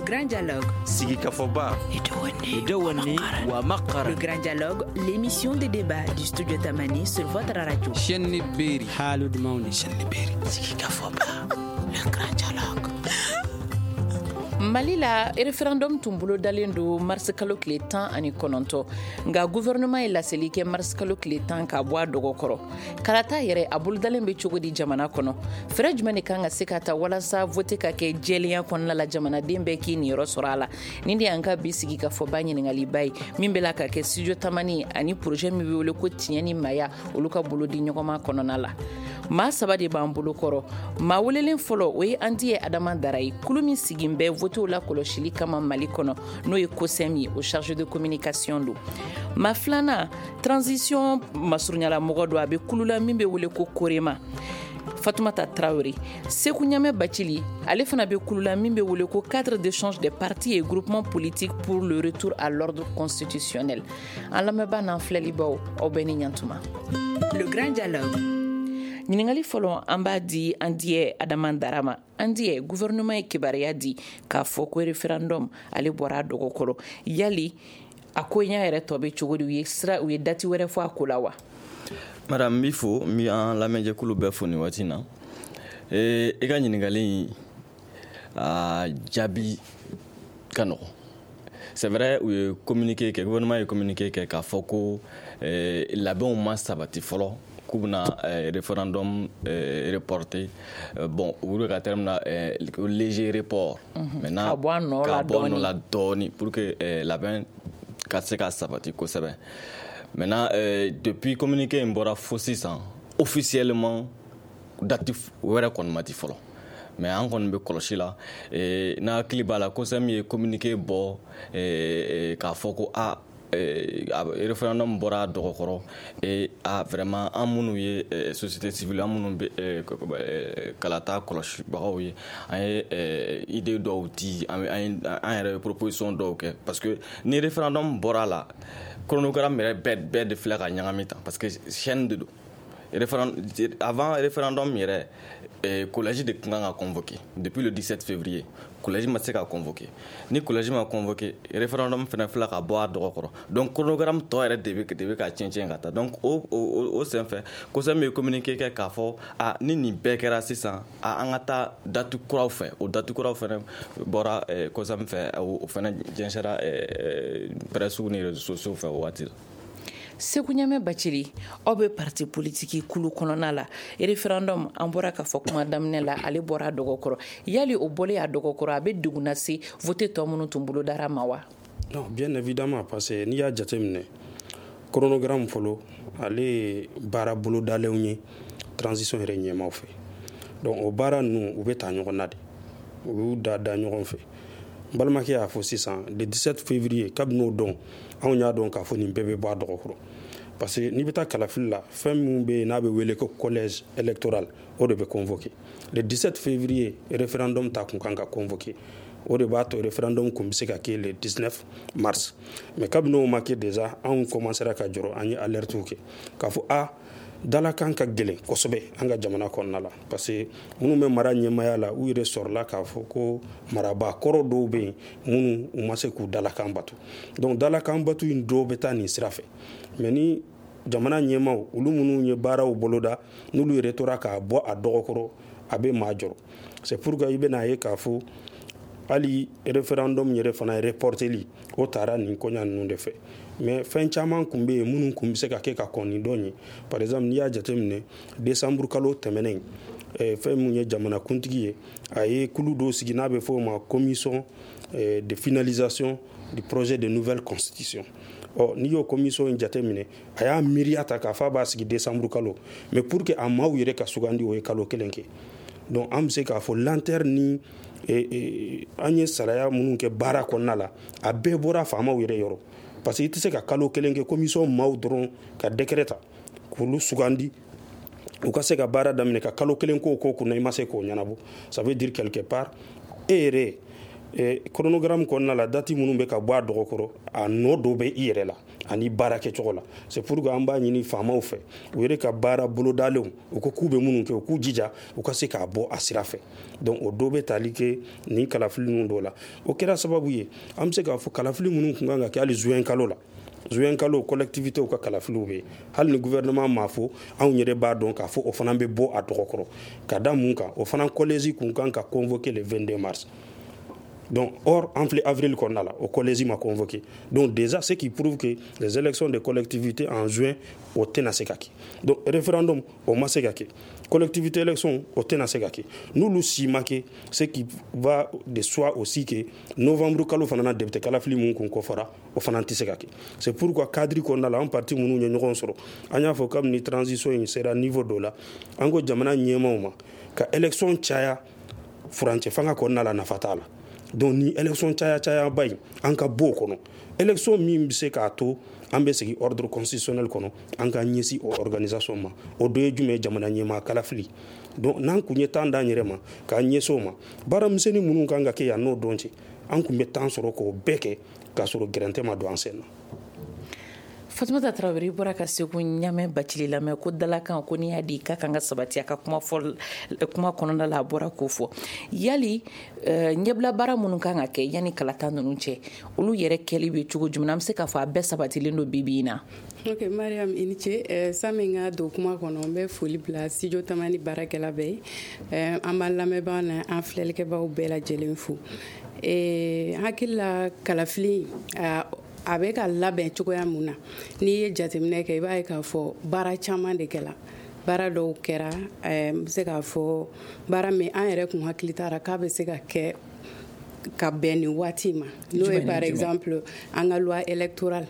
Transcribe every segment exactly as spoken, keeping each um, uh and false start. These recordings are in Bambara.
Grand Dialogue. Sigikafɔba. Le Grand Dialogue, l'émission de débat du studio Tamani sur votre radio. Chaîne Beri. Haalude mawni. Sigikafɔba. Le Grand Dialogue. Mali la, référendum tun bolodalen don mars kalo tile tan ani kɔnɔntɔn, nka gouvernement ye laseli kɛ mars kalo tile tan ka bɔ a dɔgɔkɔrɔ. Kalata yɛrɛ, a bolodalen bɛ cogo di jamana kɔnɔ? Fɛɛrɛ jumɛn de kan ka se ka ta walasa vote ka kɛ jɛlenya kɔnɔna la, jamanaden bɛɛ k'i niyɔrɔ sɔrɔ a la? Nin de y'an ka bi sigi ka fɔba ɲiningaliba ye, min bɛ la ka kɛ studio Tamani ani projet min bɛ wele ko Tiɲɛ ni Maya, olu ka bolo di ɲɔgɔnma kɔnɔna la. Maa saba de b'an bolo kɔrɔ. Maa welelen fɔlɔ, o ye an ye Adama Dara ye, kulu min sigin bɛ votew la kɔlɔsili kama Mali kɔnɔ, n'o ye COSEM ye, o chargé de communication don. Maa filanan, transition masurunyala mɔgɔ don, a bɛ kulu la min bɛ wele ko Korema, Fatumata Traoré. Seku Ɲamɛ Bacili, ale fana bɛ kulu la min bɛ wele ko Cadre d'échange des partis et groupements politiques pour le retour à l'ordre constitutionnel. An lamɛnbaa n'an filɛlibaw, aw bɛɛ ni ɲantuma. Le Grand Dialogue. Ɲiningali fɔlɔ, an b'a di an diyɛ Adama Dara ma. An diyɛ, gouvernement ye kibaruya di k'a fɔ ko référendum, ale bɔra a dɔgɔkɔrɔ. Yali a ko ɲɛ yɛrɛ tɔ bɛ cogo di? U ye sira, u ye date wɛrɛ fɔ a ko la wa? Madame, n b'i fo, n bɛ an lamɛnjɛkulu bɛɛ fo nin waati in na. Ee, i ka ɲininkali in, a jaabi ka nɔgɔn. C'est vrai, u ye communiqué kɛ, gouvernement ye communiqué kɛ k'a fɔ ko eh, labɛnw ma sabati fɔlɔ, k'u bɛna eh, référendum eh, reporté. Euh, bon u bɛ ka terme na eh, léger report. Maintenant, ka bɔ a nɔ la ka bɔ a nɔ dɔɔni. la dɔɔni pour que eh, labɛn ka se ka sabati kosɛbɛ. Maintenant, euh, depuis communiqué in bɔra fo sisan, officiellement date wɛrɛ kɔni ma di fɔlɔ, mais an kɔni bɛ kɔlɔsi la. eh, n'a hakili b'a la, COSEM ye communiqué bɔ eh, eh, k'a fɔ ko a eh, a référendum bɔra a dɔgɔkɔrɔ et a vraiment, an minnu ye eh, société civile, an minnu bɛ eh, eh, kalata kɔlɔsibagaw ye, an ye eh, idée dɔw di, an an ye an yɛrɛ ye proposition dɔw kɛ, parce que ni référendum bɔra a la, chronogramme yɛrɛ bɛɛ bɛɛ de filɛ ka ɲagami tan, parce que chaîne de don. Référendum, avant référendum yɛrɛ, eh, collège de tun kan ka convoqué depuis le dix-sept février. Collège ma se ka convoqué. Ni collège ma convoqué, référendum fana filɛ ka bɔ a dɔgɔkɔrɔ. Donc chronogramme tɔ yɛrɛ de bɛ de bɛ ka tiɲɛ tiɲɛ ka taa. Donc o o o senfɛ, COSEM ye communiqué kɛ k'a fɔ a ni nin bɛɛ kɛra sisan, a an ka taa date kuraw fɛ. O date kuraw fana bɔra eh, COSEM fɛ, o o fana jɛnsɛra eh, presse ni réseaux sociaux fɛ o waati la. Seku Ɲamɛ Bacili, aw bɛ parti politiki kulu kɔnɔna la. Référendum, an bɔra k'a fɔ kuma daminɛ la, ale bɔra a dɔgɔkɔrɔ. Yali o bɔlen a dɔgɔkɔrɔ, a bɛ degun lase vote tɔ minnu tun bolodara ma wa? Non, bien évidemment, parce que n'i y'a jateminɛ, chronogramme fɔlɔ, ale ye baara bolodalenw ye transition yɛrɛ ɲɛmaw fɛ. Donc o baara ninnu, u bɛ taa ɲɔgɔn na de, u y'u da da ɲɔgɔn fɛ. N balimakɛ y'a fɔ sisan, le dix-sept février, kabini o dɔn, anw y'a dɔn k'a fɔ nin bɛɛ bɛ bɔ a dɔgɔkɔrɔ, parce que n'i bɛ taa kalafili la, fɛn min bɛ yen n'a bɛ wele ko collège électoral, o de bɛ convoqué le dix-sept février. Référendum ta kun kan ka convoqué, o de b'a to référendum kun bɛ se ka kɛ le dix-neuf mars. Mais kabini o ma kɛ déjà, anw commencera ka jɔrɔ, an ye alerte kɛ k'a fɔ a dalakan ka gɛlɛn kosɛbɛ an ka jamana kɔnɔna la, parce que minnu bɛ mara ɲɛmaya la, u yɛrɛ sɔrɔla k'a fɔ ko marabaa kɔrɔ dɔw bɛ yen minnu u ma se k'u dalakan batu. Donc dalakan batu in dɔw bɛ taa nin sira fɛ. Mais ni jamana ɲɛmaw, olu minnu ye baaraw boloda, n'olu yɛrɛ tora k'a bɔ a dɔgɔkɔrɔ, a bɛ maa jɔrɔ. C'est pourquoi i bɛna ye k'a fɔ hali référendum yɛrɛ fana reporteli, o taara nin koɲa ninnu de fɛ. Mais fɛn caman kun bɛ yen minnu kun bɛ se ka kɛ ka kɔn nin dɔn ye. Par exemple, n'i y'a jateminɛ, décembre kalo tɛmɛnen, eh, fɛn mun ye jamanakuntigi ye, a ye kulu dɔw sigi n'a bɛ fɔ o ma commission eh, de finalisation du projet de nouvelle constitution. Ɔ n'i y'o commission in jateminɛ, a y'a miiriya ta k'a fɔ a b'a sigi décembre kalo, mais pour que a maaw yɛrɛ ka sugandi, o ye kalo kelen kɛ. Donc an bɛ se k'a fɔ lenteur ni eh, eh, an ye saraya minnu kɛ baara kɔnɔna la, a bɛɛ bɔra faamaw yɛrɛ yɔrɔ, parce que i tɛ se ka kalo kelen kɛ commission maaw dɔrɔn ka décret ta k'olu sugandi, u ka se ka baara daminɛ, ka kalo kelen k'o ko kunna, i ma se k'o ɲɛnabɔ. Ça veut dire quelque part, e yɛrɛ eh, chronogramme kɔnɔna la, date minnu bɛ ka bɔ a dɔgɔkɔrɔ, a nɔ dɔ bɛ i yɛrɛ la. ani baara kɛcogo la. C'est pourquoi an b'a ɲini faamaw fɛ, u yɛrɛ ka baara bolodalenw, u ko k'u bɛ minnu kɛ, u k'u jija u ka se k'a bɔ a sira fɛ. Donc o dɔ bɛ tali kɛ nin kalafili ninnu dɔw la. O kɛra sababu ye an bɛ se k'a fɔ kalafili minnu tun kan ka kɛ hali juin kalo la, juin kalo collectivité ka kalafiliw bɛ yen, hali ni gouvernement m'a fɔ, anw yɛrɛ b'a dɔn k'a fɔ o fana bɛ bɔ a dɔgɔkɔrɔ. Ka da mun kan, o fana collège kun kan ka convoquer le vingt-deux mars. Donc, or, en avril kɔnɔna la, o collège ma convoqué. Donc déjà, ce qui prouve que les élections des collectivités en juin, o tɛna se ka kɛ. Donc référendum, o ma se ka kɛ. Collectivité élection, o tɛna se ka kɛ. N'olu si ma kɛ, ce qui va de soi aussi que novembre kalo fana na, député kalafili mun kun kɔfɔra, o fana tɛ se ka kɛ. C'est pourquoi cadre kɔnɔna la, an parti minnu ye ɲɔgɔn sɔrɔ, an y'a fɔ kabini transition in sera niveau dɔ la, an ko jamana ɲɛmaaw ma ka élection caya furancɛ fanga kɔnɔna la, nafa t'a la. Donc ni élection caya caya ba in, an ka bɔ o kɔnɔ. Élection min bɛ se k'a to an bɛ segin ordre constitutionnel kɔnɔ, an ka ɲɛsin o organisation ma. O dɔ ye jumɛn ye? Jamana ɲɛmaa kalafili. Donc n'an kun ye temps d'an yɛrɛ ma k'an ɲɛsin o ma, baara misɛnnin minnu kan ka kɛ yan n'o dɔn cɛ, an kun bɛ temps sɔrɔ k'o bɛɛ kɛ k'a sɔrɔ gɛrɛntɛ ma don an sen na. Fatumata Tarawele bɔra ka Segu Ɲamɛ Bacili lamɛn ko dalakan ko n'i y'a di k'a kan ka sabati a ka kuma fɔ kuma kɔnɔna la, a bɔra k'o fɔ. Yali ɲɛbila baara minnu kan ka kɛ yanni kalata ninnu cɛ, olu yɛrɛ kɛli bɛ cogo jumɛn? An bɛ se k'a fɔ a bɛɛ sabatilen don bi bi in na? Ok, Mariam, i ni ce. Sani n ka don kuma kɔnɔ, n bɛ foli bila Studio Tamani baarakɛla bɛɛ ye. An b'an lamɛnbagaw n'an filɛlikɛbagaw bɛɛ lajɛlen fo. Hakili la, kalafili a bɛ ka labɛn cogoya mun na, n'i ye jateminɛ kɛ, i b'a ye k'a fɔ baara caman de kɛla. Baara dɔw kɛra, n bɛ se k'a fɔ baara min an yɛrɛ kun hakili t'a k'a bɛ se ka kɛ ka bɛn nin waati ma, n'o ye par exemple an ka loi électorale,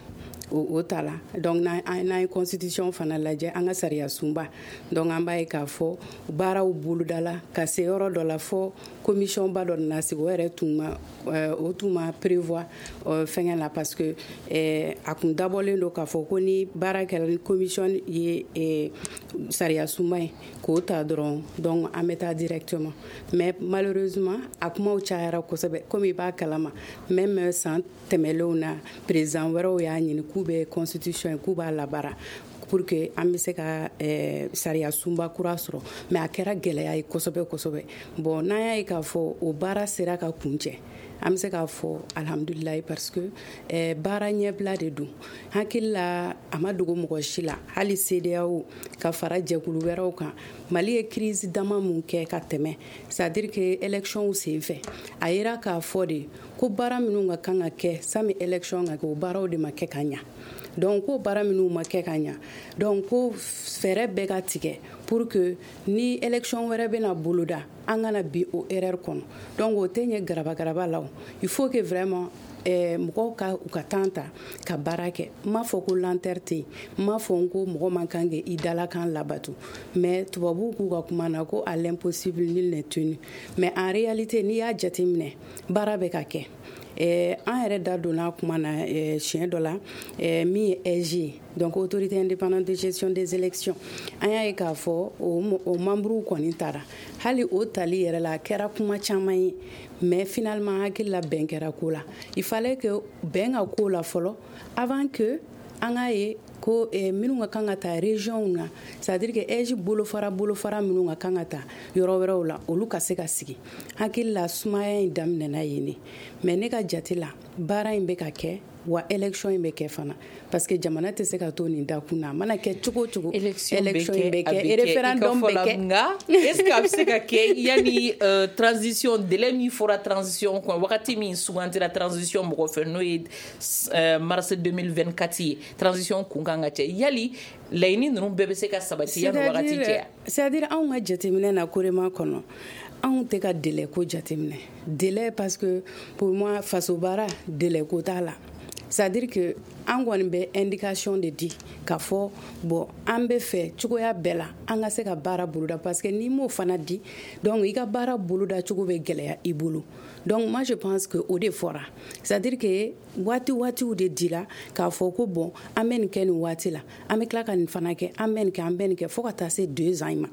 o ta la. Donc n'an ye constitution fana lajɛ, an ka sariya sunba, donc an b'a ye k'a fɔ baaraw bolodala ka se yɔrɔ dɔ la fɔ commission ba dɔ nana sigi. O yɛrɛ tun ma o tun ma prévoir fɛngɛ la, parce que a kun dabɔlen don k'a fɔ ko ni baara kɛra, ni commission ye sariya sunba ye k'o ta dɔrɔn, donc an bɛ taa directement. Mais malheureusement, a kumaw cayara kosɛbɛ. Komi i b'a kalama, même san tɛmɛlenw na, président wɛrɛw y'a ɲini k'u bɛ constitution ye, k'u b'a labaara pour que an bɛ se ka sariya sunba kura sɔrɔ, mais a kɛra gɛlɛya ye kosɛbɛ kosɛbɛ. Bon, n'an y'a ye k'a fɔ o baara sera ka kuncɛ, an bɛ se k'a fɔ alhamdulilayi, parce que baara ɲɛbila de don. Hakili la, a ma dogo mɔgɔ si la, hali CEDEAO ka fara jɛkulu wɛrɛw kan, Mali ye crise dama mun kɛ ka tɛmɛ, c'est à dire que élection senfɛ, a yira k'a fɔ de ko baara minnu ka kan ka kɛ sani élection ka kɛ, o baaraw de ma kɛ ka ɲa. Donc ko baara minnu ma kɛ ka ɲa, donc ko fɛɛrɛ bɛɛ ka tigɛ pour que ni élection wɛrɛ bɛna boloda, an kana bi o erreur kɔnɔ. Donc o tɛ ɲɛ garabagaraba la o, il faut que vraiment mɔgɔw ka u ka temps ta ka baara kɛ. N m'a fɔ ko lenteur tɛ yen, n m'a fɔ ko mɔgɔ man kan k'i dalakan labato, mais tubabuw k'u ka kuma na ko à l'impossible nul n'est tenu. Mais en réalité, n'i y'a jateminɛ, baara bɛ ka kɛ. An yɛrɛ da donna kuma na siɲɛ dɔ la, min ye A I G ye, donc autorité indépendante de gestion des élections, an y'a ye k'a fɔ o membre kɔni taara. Hali o tali yɛrɛ la, a kɛra kuma caman ye, mais finalement hakili la, bɛn kɛra ko la. Il fallait que bɛn ka ko la fɔlɔ avant que an k'a ye ko minnu ka kan ka taa région na, c'est à dire que A I G bolofara bolofara minnu ka kan ka taa yɔrɔ wɛrɛw la, olu ka se ka sigi. Hakili la, sumaya in daminɛna yen de. Mais ne ka jate la, baara in bɛ ka kɛ wa, élection in bɛ kɛ fana, parce que jamana tɛ se ka to nin dakun na. A mana kɛ cogo o cogo, élection bɛ kɛ, référendum bɛ kɛ. Nka est ce que a bɛ se ka kɛ yanni transition délai min fɔra transition kɔnɔ, wagati min sugantira transition mɔgɔ fɛ, n'o ye mars deux mille vingt-quatre ye, transition kun kan ka cɛ, yali laɲini ninnu bɛɛ bɛ se ka sabati yanni wagati cɛ? C'est à dire anw ka jateminɛ na, korema kɔnɔ, anw tɛ ka délai ko jateminɛ, délai, parce que pour moi, faso baara, délai ko t'a la. C'est à dire que an kɔni bɛ indication de di k'a fɔ bon, an bɛ fɛ cogoya bɛɛ la an ka se ka baara boloda, parce que n'i m'o fana di, donc i ka baara boloda cogo bɛ gɛlɛya i bolo. Donc moi, je pense que o de fɔra, c'est à dire que waati waatiw de dira k'a fɔ ko bon, an bɛ nin kɛ nin waati la, an bɛ tila ka nin fana kɛ, an bɛ nin kɛ, an bɛ nin kɛ, fo ka taa se deux ans in ma.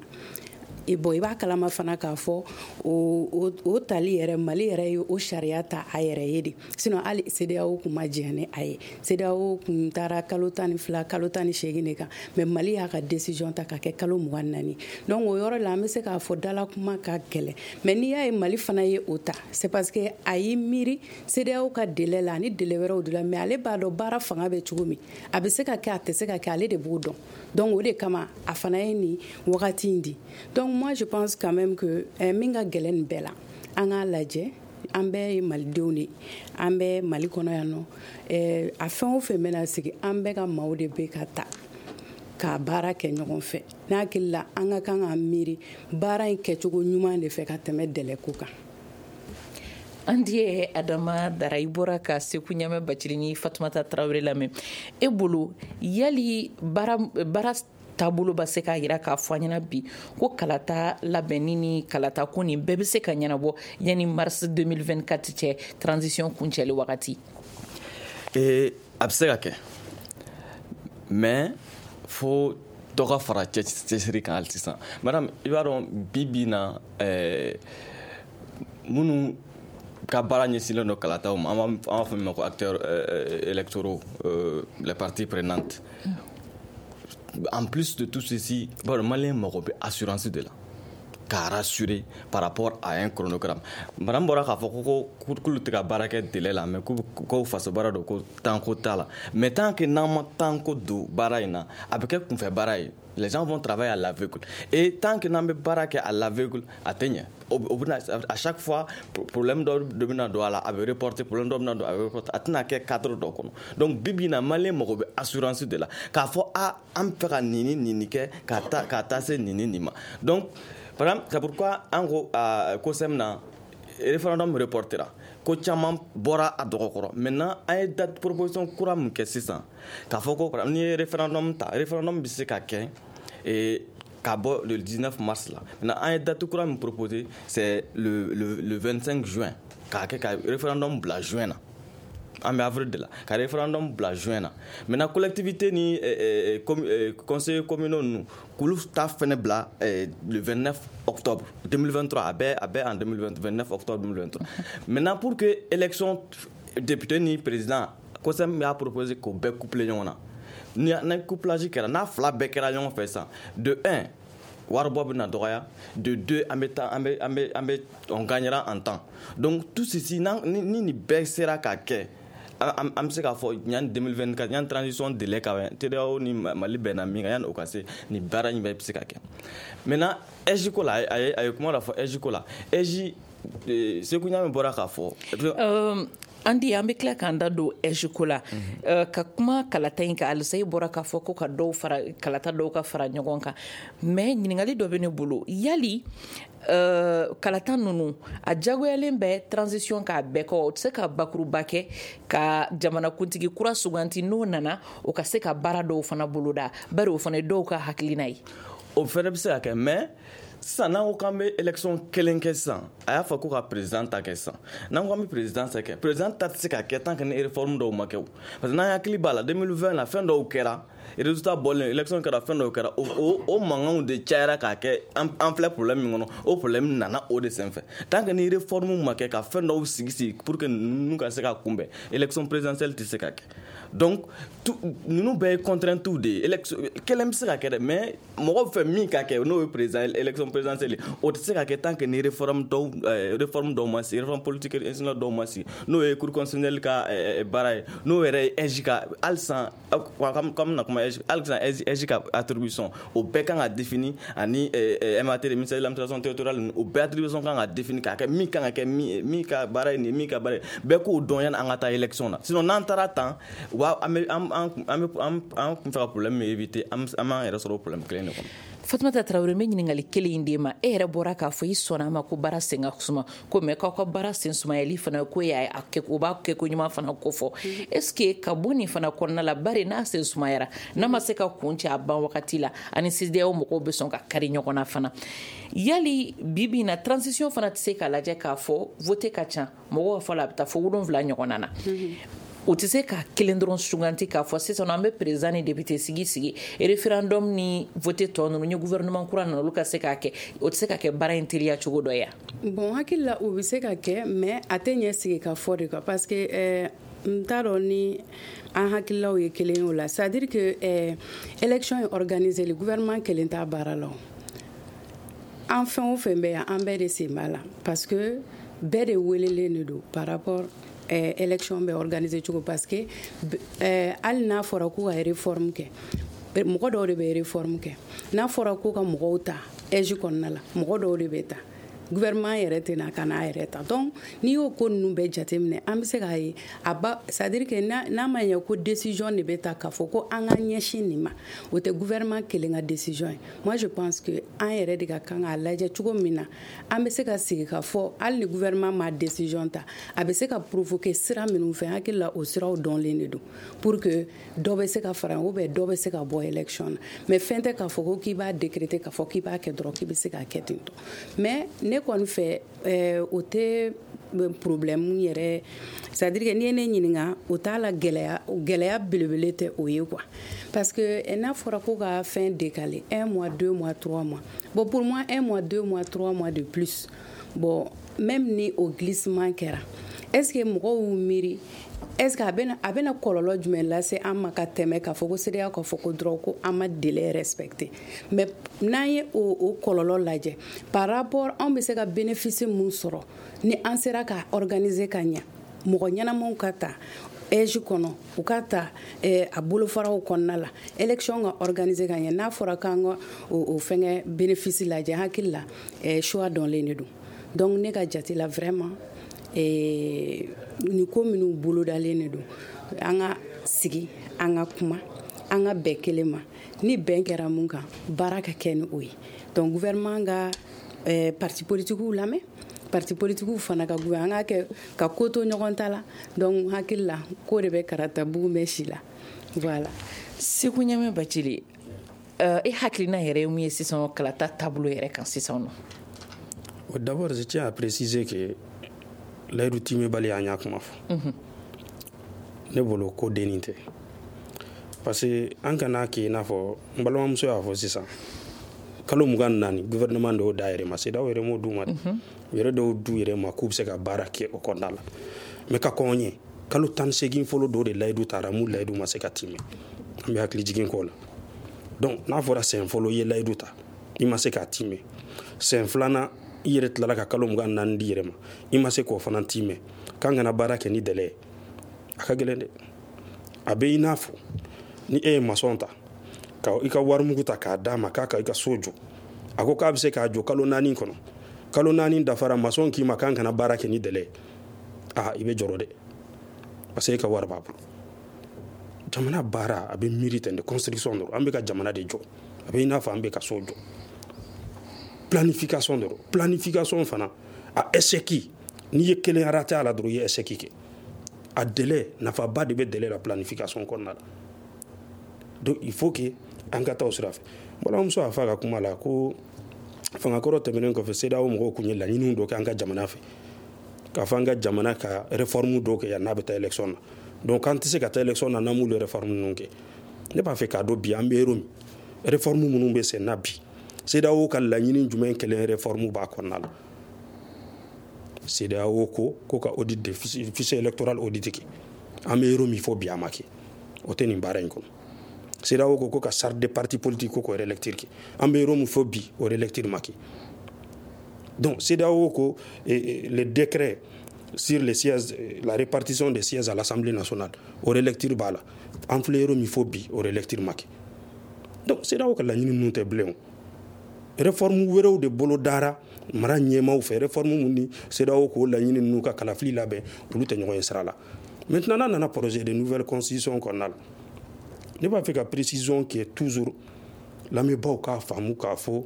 Et bon, i b'a kalama fana k'a fɔ o o tali yɛrɛ, Mali yɛrɛ ye o sariya ta a yɛrɛ ye de. Sinon hali CEDEAO kun ma jɛn ni a ye. CEDEAO kun taara kalo tan ni fila, kalo tan ni seegin de kan, mais Mali y'a ka décision ta ka kɛ kalo mugan naani. Donc o yɔrɔ la, an bɛ se k'a fɔ dala kuma ka gɛlɛn. Mais n'i y'a ye Mali fana ye o ta, c'est parce que a y'i miiri CEDEAO ka délai la ani délai wɛrɛw de la. Mais ale b'a dɔn baara fanga bɛ cogo min, a bɛ se ka kɛ, a tɛ se ka kɛ, ale de b'o dɔn. Donc o de kama a fana ye nin wagati in di. Donc moi, je pense quand même que eh, min ka gɛlɛn nin bɛɛ la, an k'a lajɛ, an bɛɛ ye malidenw de, an bɛ Mali kɔnɔ yan nɔ. eh, a fɛn o fɛn bɛna sigi, an bɛɛ ka maaw de bɛ ka ta k'a baara kɛ ɲɔgɔn fɛ. N'a hakili la, an ka kan ka miiri baara in kɛcogo ɲuman de fɛ ka tɛmɛ délai ko kan. An di Adama Dara, i bɔra ka Seku Ɲamɛ Bacili ni Fatumata Tarawele lamɛn. E bolo, yali baara baara taabolo ba se k'a yira k'a fɔ an ɲɛna bi ko kalata labɛnni ni kalata ko nin bɛɛ bɛ se ka ɲɛnabɔ yanni mars deux mille vingt-quatre cɛ, transition kuncɛli wagati? Ee, a bɛ se ka kɛ, mais fo dɔ ka fara cɛsiri kan hali sisan. Madame, i b'a dɔn, bi bi na, ɛɛ minnu ka baara ɲɛsinlen don kalataw ma, an b'a fɔ min ma ko acteurs électoraux, euh, les parties prenantes, en plus de tout ceci, bon, Malien mago bɛ assurance de la k'a rassurer par rapport à un chronogramme. Madame bɔra k'a fɔ ko ko k'olu tɛ ka baara kɛ délai la, mais ko faso baara don, ko temps ko t'a la. Mais tant que n'an ma temps ko don baara in na, a bɛ kɛ kunfɛ baara ye. Les gens vont travailler à l'aveugle, et tant que n'an bɛ baara kɛ à l'aveugle, a tɛ ɲɛ. O bɛna, à chaque fois, problème dɔ de bɛna don a la, a bɛ reporter, problème dɔ bɛna don, a bɛ reporter, a tɛna kɛ cadre dɔ kɔnɔ. Donc bi bi in na, Malien mago bɛ assurance de la k'a fɔ a an bɛ fɛ ka nin ni nin nin kɛ ka taa ka taa se nin ni nin ma. Donc par exemple, c'est pourquoi an ko COSEM na référendum reportera, ko caman bɔra a dɔgɔkɔrɔ. Maintenant, an ye date proposition kura min kɛ sisan, k'a fɔ ko n'i ye référendum ta, référendum bɛ se ka kɛ ka bɔ le dix-neuf mars la. Maintenant, an ye date kura min proposé, c'est le, le, le vingt-cinq juin, k'a kɛ ka référendum bila juin na. An bɛ avril de la, ka référendum bila juin na. Maintenant, collectivité ni eh, eh, conseillers communaux ninnu, k'olu ta fɛnɛ bila eh, le vingt-neuf octobre deux mille vingt-trois. A bɛɛ a bɛɛ en deux mille vingt, vingt-neuf octobre deux mille vingt-trois. Maintenant, pour que élection député ni président, COSEM y'a proposé k'o bɛɛ coupler ɲɔgɔn na. Ni ni couplage kɛra, n'a fila bɛɛ kɛra ɲɔgɔn fɛ sisan, de un, waribɔ bɛna dɔgɔya, de deux, an bɛ taa an bɛ an bɛ an bɛ on gagnera en temps. Donc tout ceci, ni ni nin bɛɛ sera ka kɛ, an bɛ se k'a fɔ yanni deux mille vingt-quatre, yanni transition délai ka CEDEAO ni Mali bɛnna min kan, yanni o ka se, nin baara in bɛɛ bɛ se ka kɛ. Maintenant, A I J ko la, a ye a ye kuma dɔ fɔ A I J ko la. A I J, Seku Ɲame bɔra k'a fɔ. An di, an bɛ tila k'an da don A I J ko la ka kuma kalata in kan. Halisa, i bɔra k'a fɔ ko ka dɔw fara kalata dɔw ka fara ɲɔgɔn kan, mais ɲininkali dɔ bɛ ne bolo. Yali uh, kalata ninnu a jagoyalen bɛ transition k'a bɛɛ kɔ, o tɛ se ka bakuruba kɛ ka jamanakuntigi kura suganti, n'o nana, o ka se ka baara dɔw fana boloda, bari o fana ye dɔw ka hakilina ye? O fɛnɛ bɛ se ka kɛ, mais sisan, n'an ko k'an bɛ élection kelen kɛ sisan, a y'a fɔ ko ka président ta kɛ sisan, n'an ko k'an bɛ président ta kɛ, président ta tɛ se ka kɛ tant que ni réforme dɔw ma kɛ o. Parce que n'an hakili b'a la, deux mille vingt la, fɛn dɔw kɛra, résultat bɔlen, élection kɛra, fɛn dɔw kɛra, o o o mankanw de cayara k'a kɛ an an filɛ problème min kɔnɔ. O problème nana o de senfɛ. Tant que ni réforme ma kɛ ka fɛn dɔw sigi sigi pour que ninnu ka se ka kunbɛn, élection présidentielle tɛ se ka kɛ. Donc ninnu bɛɛ ye contrainte de ye. Élection kelen bɛ se ka kɛ dɛ, mais mɔgɔ fɛ min ka kɛ, n'o ye président, élection présidentielle, o tɛ se ka kɛ tant que ni réforme dɔw réforme dɔw ma sigi, réforme politique institutionnelle dɔw ma sigi, n'o ye cour constitutionnelle ka baara ye, n'o yɛrɛ ye A I J ka halisa, comme na kuma halisa, A I J ka attribution, o bɛɛ kan ka défini, ani M A T, ministère de l'administration territoriale, o bɛɛ attribution kan ka défini k'a kɛ min kan ka kɛ, min min ka baara ye nin, min ka baara ye, bɛɛ k'o dɔn yanni an ka taa élection na. Sinon n'an taara tan, u b'a an bɛ an an an bɛ an an kun fɛ ka problème min éviter, an b'an yɛrɛ sɔrɔ o problème kelen de kɔnɔ. Fatumata Tarawele, n bɛ ɲininkali kelen in d'e ma. E yɛrɛ bɔra k'a fɔ i sɔnna a ma ko baara sen ka suma ko, mɛ k'aw ka baara sen sumayali fana ko y'a kɛ, o b'a kɛ ko ɲuman fana ko fɔ. Est ce que ka bɔ nin fana kɔnɔna la, bari n'a sen sumayara, n'a ma se ka kun cɛ a ban wagati la, ani CEDEAO mɔgɔw bɛ sɔn ka kari ɲɔgɔn na fana, yali bi bi in na transition fana tɛ se k'a lajɛ k'a fɔ vote ka ca, mɔgɔw ka fɔ la, a bɛ taa fo wolonwula ɲɔgɔnna na? U tɛ se ka kelen dɔrɔn suganti k'a fɔ sisan an bɛ président ni député sigi sigi, référendum ni vote tɔ ninnu ni gouvernement kura nana, olu ka se k'a kɛ. O tɛ se ka kɛ baara in teliya cogo dɔ ye? Bon, hakili la, o bɛ se ka kɛ, mais a tɛ ɲɛ sigi ka fɔ de quoi, parce que euh, n t'a dɔn ni an hakililaw ye kelen ye o la. C'est à dire que euh, élection ye organisé, le gouvernement kelen t'a baara la. O an fɛn o fɛn bɛ yan, an bɛɛ de sen b'a la, parce que bɛɛ de welelen de don par rapport eh, élection bɛ organiser cogo, parce que eh, hali n'a fɔra k'u ka réforme kɛ, mɔgɔ dɔw de bɛ réforme kɛ. N'a fɔra ko ka mɔgɔw ta A I J kɔnɔna la, mɔgɔ dɔw de bɛ ta, gouvernement yɛrɛ tɛna ka n'a yɛrɛ ta. Donc n'i y'o ko ninnu bɛɛ jateminɛ, an bɛ se k'a ye a ba, c'est à dire que n'a ma ɲɛ ko décision de bɛ ta k'a fɔ ko an ka ɲɛsin nin ma, o tɛ gouvernement kelen ka décision ye. Moi, je pense que an yɛrɛ de ka kan k'a lajɛ cogo min na an bɛ se ka sigi ka fɔ, hali ni gouvernement ma décision ta, a bɛ se ka provoquer sira minnu fɛ. Hakili la, o siraw dɔnlen de don pour que dɔ bɛ se ka fara ou bien dɔ bɛ se ka bɔ élection na. Mais fɛn tɛ k'a fɔ ko k'i b'a décréter, k'a fɔ k'i b'a kɛ dɔrɔn, k'i bɛ se k'a kɛ ten tɔ. Mais ne kɔni fɛ, o tɛ problème yɛrɛ. C'est à dire que n'i ye ne ɲininka, o t'a la gɛlɛya, gɛlɛya belebele tɛ o ye quoi, parce que n'a fɔra ko ka fɛn décaler un mois, deux mois, trois mois, bon, pour moi, un mois, deux mois, trois mois de plus, bon, même ni o glissement kɛra, est ce que mɔgɔw y'u miiri, est ce que a bɛna a bɛna kɔlɔlɔ jumɛn lase an ma ka tɛmɛ k'a fɔ ko CEDEAO k'a fɔ ko dɔrɔn ko an ma délai respecté? Mais n'an ye o o kɔlɔlɔ lajɛ par rapport anw bɛ se ka bénéfice mun sɔrɔ ni an sera ka organiser ka ɲɛ, mɔgɔ ɲɛnamaw ka ta A I J kɔnɔ, u ka ta eh, a bolofaraw kɔnɔna la, élection ka organiser ka ɲɛ, n'a fɔra k'an ka o, o fɛngɛ bénéfice lajɛ, hakili la, eh, choix dɔnlen de don. Donc ne ka jate la, vraiment, eh, nin ko minnu bolodalen de don, an ka sigi, an ka kuma, an ka bɛn kelen ma. Ni bɛn kɛra mun kan, baara ka kɛ ni o ye. Donc gouvernement ka eh, parti politikiw lamɛn, parti politikiw fana ka gouvernement, an ka kɛ ka ko to ɲɔgɔn ta la. Donc hakili la, ko de bɛ karata bugun bɛ si la, voilà. Segu Ɲamɛ Bacili, uh, e hakilina yɛrɛ ye mun ye sisan kalata taabolo yɛrɛ kan sisan nɔ? D'abord, je tiens à préciser que layidu timɛbali, an y'a kuma fɔ, ne bolo ko dennin tɛ, parce que an kana kɛ i n'a fɔ n balimamuso y'a fɔ sisan, kalo mugan naani, gouvernement dɔw da yɛrɛ ma, CEDEAO yɛrɛ m'o d'u ma dɛ, u yɛrɛ dɔw d'u yɛrɛ ma k'u bɛ se ka baara kɛ o kɔnɔna la. Mais ka kɔn ɲɛ, kalo tan ni seegin fɔlɔ dɔw de layidu taara mun layidu ma se ka timɛ, an bɛ hakili jigin k'o la. Donc n'a fɔra sɛn fɔlɔ i ye layidu ta, i ma se k'a timɛ, sɛn filanan i yɛrɛ tilala ka kalo mugan naani di yɛrɛ ma, i ma se k'o fana timɛ, k'an kana baara kɛ ni délai ye, a ka gɛlɛn dɛ. A bɛ i n'a fɔ ni e ye maçon ta ka i ka warimugu ta k'a d'a ma k'a ka i ka so jɔ, a ko k'a bɛ se k'a jɔ kalo naani kɔnɔ, kalo naani dafara, maçon k'i ma k'an kana baara kɛ ni délai ye, aa, i bɛ jɔrɔ dɛ, parce que e ka wari b'a bolo. Jamana baara a bɛ miiri ten de, construction dɔrɔn, an bɛ ka jamana de jɔ, a bɛ i n'a fɔ an bɛ ka so jɔ, planification dɔrɔn. Planification fana a échec, n'i ye kelen raté a la dɔrɔn, i ye échec kɛ. A délai, nafaba de bɛ délai la planification kɔnɔna la. Donc il faut que an ka taa o sira fɛ. Balimamuso y'a fɔ a ka kuma la ko fangakɔrɔ tɛmɛnen kɔfɛ, CEDEAO mɔgɔw tun ye laɲiniw dɔ kɛ an ka jamana fɛ, k'a fɔ an ka jamana ka réforme dɔw kɛ yan n'a bɛ taa élection na. Donc an tɛ se ka taa élection na n'an m'olu réforme ninnu kɛ. Ne b'a fɛ k'a dɔn bi an bɛ yɔrɔ min, réforme minnu bɛ sen na bi, CEDEAO ka laɲini jumɛn kelen réforme b'a kɔnɔna la? CEDEAO ko ko ka audit de fichier électoral audit kɛ, an bɛ yɔrɔ min fɔ bi, a ma kɛ, o tɛ nin baara in kɔnɔ. CEDEAO ko ko ka charte des partis politiques ko k'o relecture kɛ, an bɛ yɔrɔ min fɔ bi, o relecture ma kɛ. Donc CEDEAO ko le décret sur les sièges, la répartition des sièges à l'Assemblée nationale, o relecture b'a la, an filɛ yɔrɔ min fɔ bi, o relecture ma kɛ. Donc CEDEAO ka laɲini ninnu tɛ bilen o, réforme wɛrɛw de bolo dara mara ɲɛmaw fɛ, réforme mun ni CEDEAO k'o laɲini ninnu ka kalafili labɛn, olu tɛ ɲɔgɔn ye sira la. Maintenant, n'a nana projet de nouvelle constitution kɔnɔna la, ne b'a fɛ ka précision kɛ toujours, lamɛnbaaw k'a faamu k'a fɔ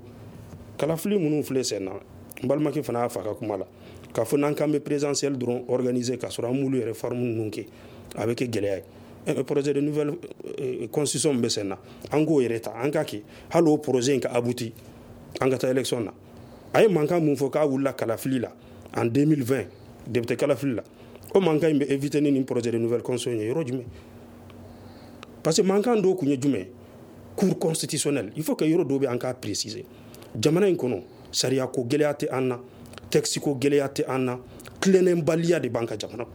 kalafili minnu filɛ sen na, n balimakɛ fana y'a fɔ a ka kuma la k'a fɔ n'an k'an bɛ présidentielle dɔrɔn organiser k'a sɔrɔ an m'olu yɛrɛ réforme ninnu kɛ, a bɛ kɛ gɛlɛya ye. Projet de nouvelle constitution min bɛ sen na, an k'o yɛrɛ ta, an k'a kɛ, hali o projet in ka abouti, an ka taa élection na. A ye mankan mun fɔ k'a wulila kalafili la en deux mille vingt, député kalafili la, O mankan in bɛ éviter ni nin projet de nouvelle constitution ye yɔrɔ jumɛn? Parce que mankan dɔw kun ye jumɛn? Cour constitutionnelle. Il faut que yɔrɔ dɔw bɛ an k'a préciser. Jamana in kɔnɔ, sariya ko gɛlɛya tɛ an na, texte ko gɛlɛya tɛ an na, tilennenbaliya de b'an ka jamana kɔnɔ.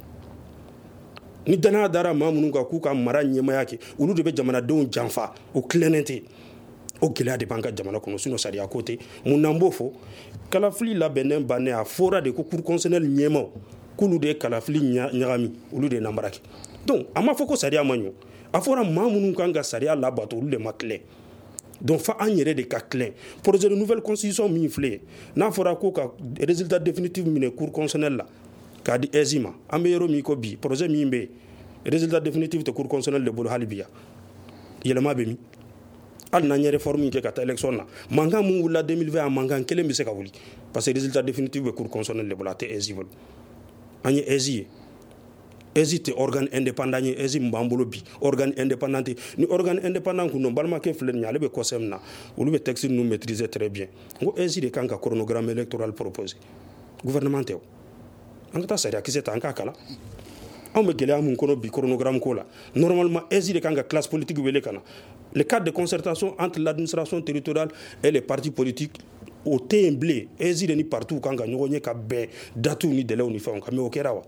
Ni danaya dara maa minnu kan k'u ka mara ɲɛmaya kɛ, olu de bɛ jamanadenw janfa, o tilennen tɛ. O gɛlɛya de b'an ka jamana kɔnɔ, sinon sariya ko tɛ. Mun n'an b'o fɔ? Kalafili labɛnnen bannen, a fɔra de ko cour constitutionnelle ɲɛmaw k'olu de ye kalafili ɲagami, olu de ye namara kɛ. Donc a ma fɔ ko sariya ma ɲɔ, a fɔra maa minnu kan ka sariya labato, olu de ma tilen. Donc fa an yɛrɛ de ka tilen. Projet de nouvelle constitution min filɛ, n'a fɔra ko ka résultat définitif minɛ cour constitutionnelle la k'a di A I S ma, an bɛ yɔrɔ min ko bi, projet min bɛ yen, résultat définitif tɛ cour constitutionnelle de bolo hali bi yan. Yɛlɛma bɛ min? Hali n'an ye réforme kɛ ka taa élection na, mankan mun wulila deux mille vingt, a mankan kelen bɛ se ka wuli, parce que résultat définitif bɛ cour constitutionnelle de bolo, a tɛ A I S bolo. An ye A I S ye, A I S tɛ organe indépendant ye. A I S min b'an bolo bi, organe indépendant tɛ. Ni organe indépendant kun don, balimakɛ filɛ nin ye, ale bɛ COSEM na, olu bɛ texte ninnu maîtriser très bien. N ko A I S de kan ka chronogramme électoral proposer, gouvernement tɛ o. An ka taa sariya kisɛ ta, an k'a kalan. Anw bɛ gɛlɛya mun kɔnɔ bi chronogramme ko la, normalement A I S de kan ka classe politique wele ka na. Le cadre de concertation entre l'administration territoriale et les partis politiques, o tɛ yen bilen. A I S de ni partis kan ka ɲɔgɔn ye ka bɛn dates ni délais ni fɛnw kan, mais o kɛra wa?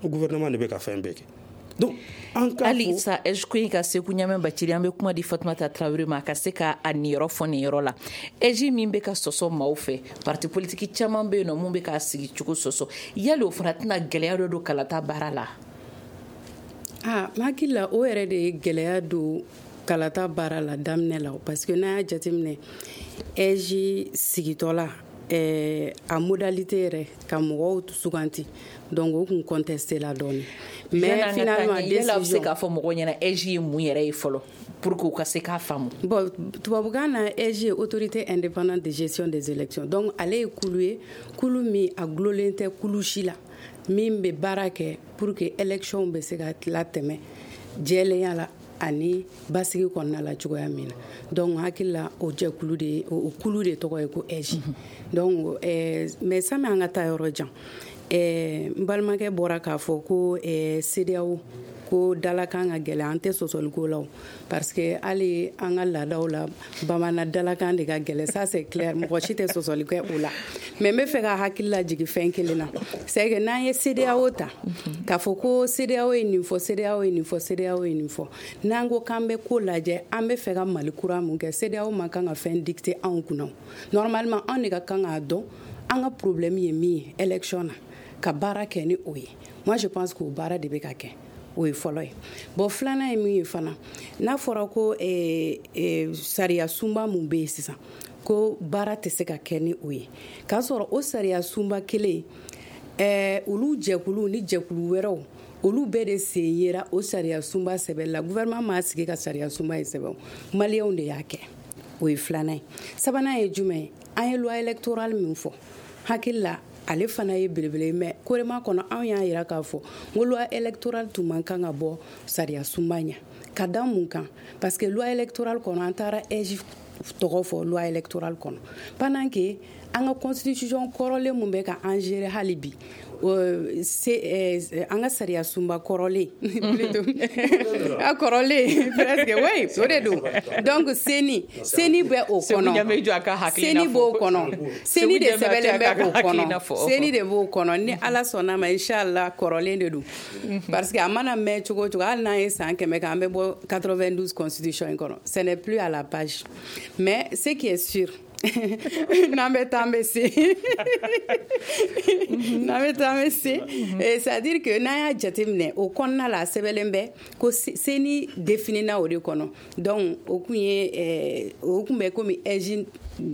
O gouvernement de bɛ ka fɛn bɛɛ kɛ. Donc an ka hali sa A I S ko in ka Seku Ɲamɛ Bacili, an bɛ kuma di Fatumata Tarawele ma a ka se ka a niyɔrɔ fɔ nin yɔrɔ la. A I S min bɛ ka sɔsɔ maaw fɛ, parti politique caman bɛ yen nɔ mun bɛ k'a sigi cogo sɔsɔ, yali o fana tɛna gɛlɛya dɔ don kalata baara la? Ah, n hakili la o yɛrɛ de ye gɛlɛya don kalata baara la daminɛ la, parce que n'a y'a jateminɛ A I S sigitɔ la, eh, a modalité yɛrɛ ka mɔgɔw suganti, donc o kun contesté la dɔɔni. Mais finalement décision, bɛ se k'a fɔ mɔgɔw ɲɛna A I S ye mun yɛrɛ ye fɔlɔ pour que u ka se k'a faamu? Bon, tubabukan na A I S ye autorité indépendante de gestion des élections. Donc ale ye kulu ye, kulu min a gulolen tɛ kulu si la, min bɛ baara kɛ pour que élection bɛ se ka latɛmɛ jɛlenya la ani basigi kɔnɔna la cogoya min na. Donc hakili la o jɛkulu de, o kulu de tɔgɔ ye ko A I S. Donc eh, mais sani an ka taa yɔrɔ jan, eh, n balimakɛ bɔra k'a fɔ ko eh, CEDEAO ko dalakan ka gɛlɛn, an tɛ sɔsɔliko la o, parce que hali an ka laadaw la, bamanan dalakan de ka gɛlɛn, ça c'est clair, mɔgɔ si tɛ sɔsɔli kɛ o la. Mais n bɛ fɛ ka hakili lajigin fɛn kelen na, c'est que n'an ye CEDEAO ta k'a fɔ ko CEDEAO ye nin fɔ, CEDEAO ye nin fɔ, CEDEAO ye nin fɔ, n'an ko k'an bɛ ko lajɛ, an bɛ fɛ ka Mali kura mun kɛ, CEDEAO man kan ka fɛn dicter anw kunna. Normalement anw de ka kan k'a dɔn an ka problème ye min ye élection na, ka baara kɛ ni o ye. Moi je pense k'o baara de bɛ ka kɛ, o ye fɔlɔ ye. Bon, filanan ye min ye fana, n'a fɔra ko eh, eh, sariya sunba mun bɛ yen sisan, ko baara tɛ se ka kɛ ni o ye, k'a sɔrɔ o sariya sunba kelen, eh, olu jɛkulu ni jɛkulu wɛrɛw, olu bɛɛ de sen yera o sariya sunba sɛbɛn la. Gouvernement m'a sigi ka sariya sunba in sɛbɛn, maliyɛnw de y'a kɛ. O ye filanan ye. Sabanan ye jumɛn ye? An ye loi électorale min fɔ, hakili la ale fana ye belebele, mais korema kɔnɔ anw y'a yira k'a fɔ n ko loi électorale tun man kan ka bɔ sariya sunba ɲɛ. Ka da mun kan? Parce que loi électorale kɔnɔ, an taara A I S tɔgɔ fɔ loi électorale kɔnɔ, pendant que an ka constitution kɔrɔlen mun bɛ ka an gérer hali bi, an ka sariya sunba kɔrɔlen plutôt a kɔrɔlen presque, oui, o de don. Donc CENI CENI bɛ o kɔnɔ, CENI b'o kɔnɔ, CENI de sɛbɛnlen bɛ o kɔnɔ, CENI de b'o kɔnɔ. Ni Ala sɔnna ma, inchallah kɔrɔlen de don, parce que a mana mɛn cogo o cogo, hali n'an ye san kɛmɛ kɛ, an bɛ bɔ quatre-vingt-douze constitution in kɔnɔ, ce n'est plus à la page. Mais ce qui est sûr, n'an bɛ taa an bɛ se, n'an bɛ taa an bɛ se, c'est à dire que n'an y'a jateminɛ o kɔnɔna la, a sɛbɛnlen bɛ ko CENI définina o de kɔnɔ. Donc o kun ye, o kun bɛ komi A I S,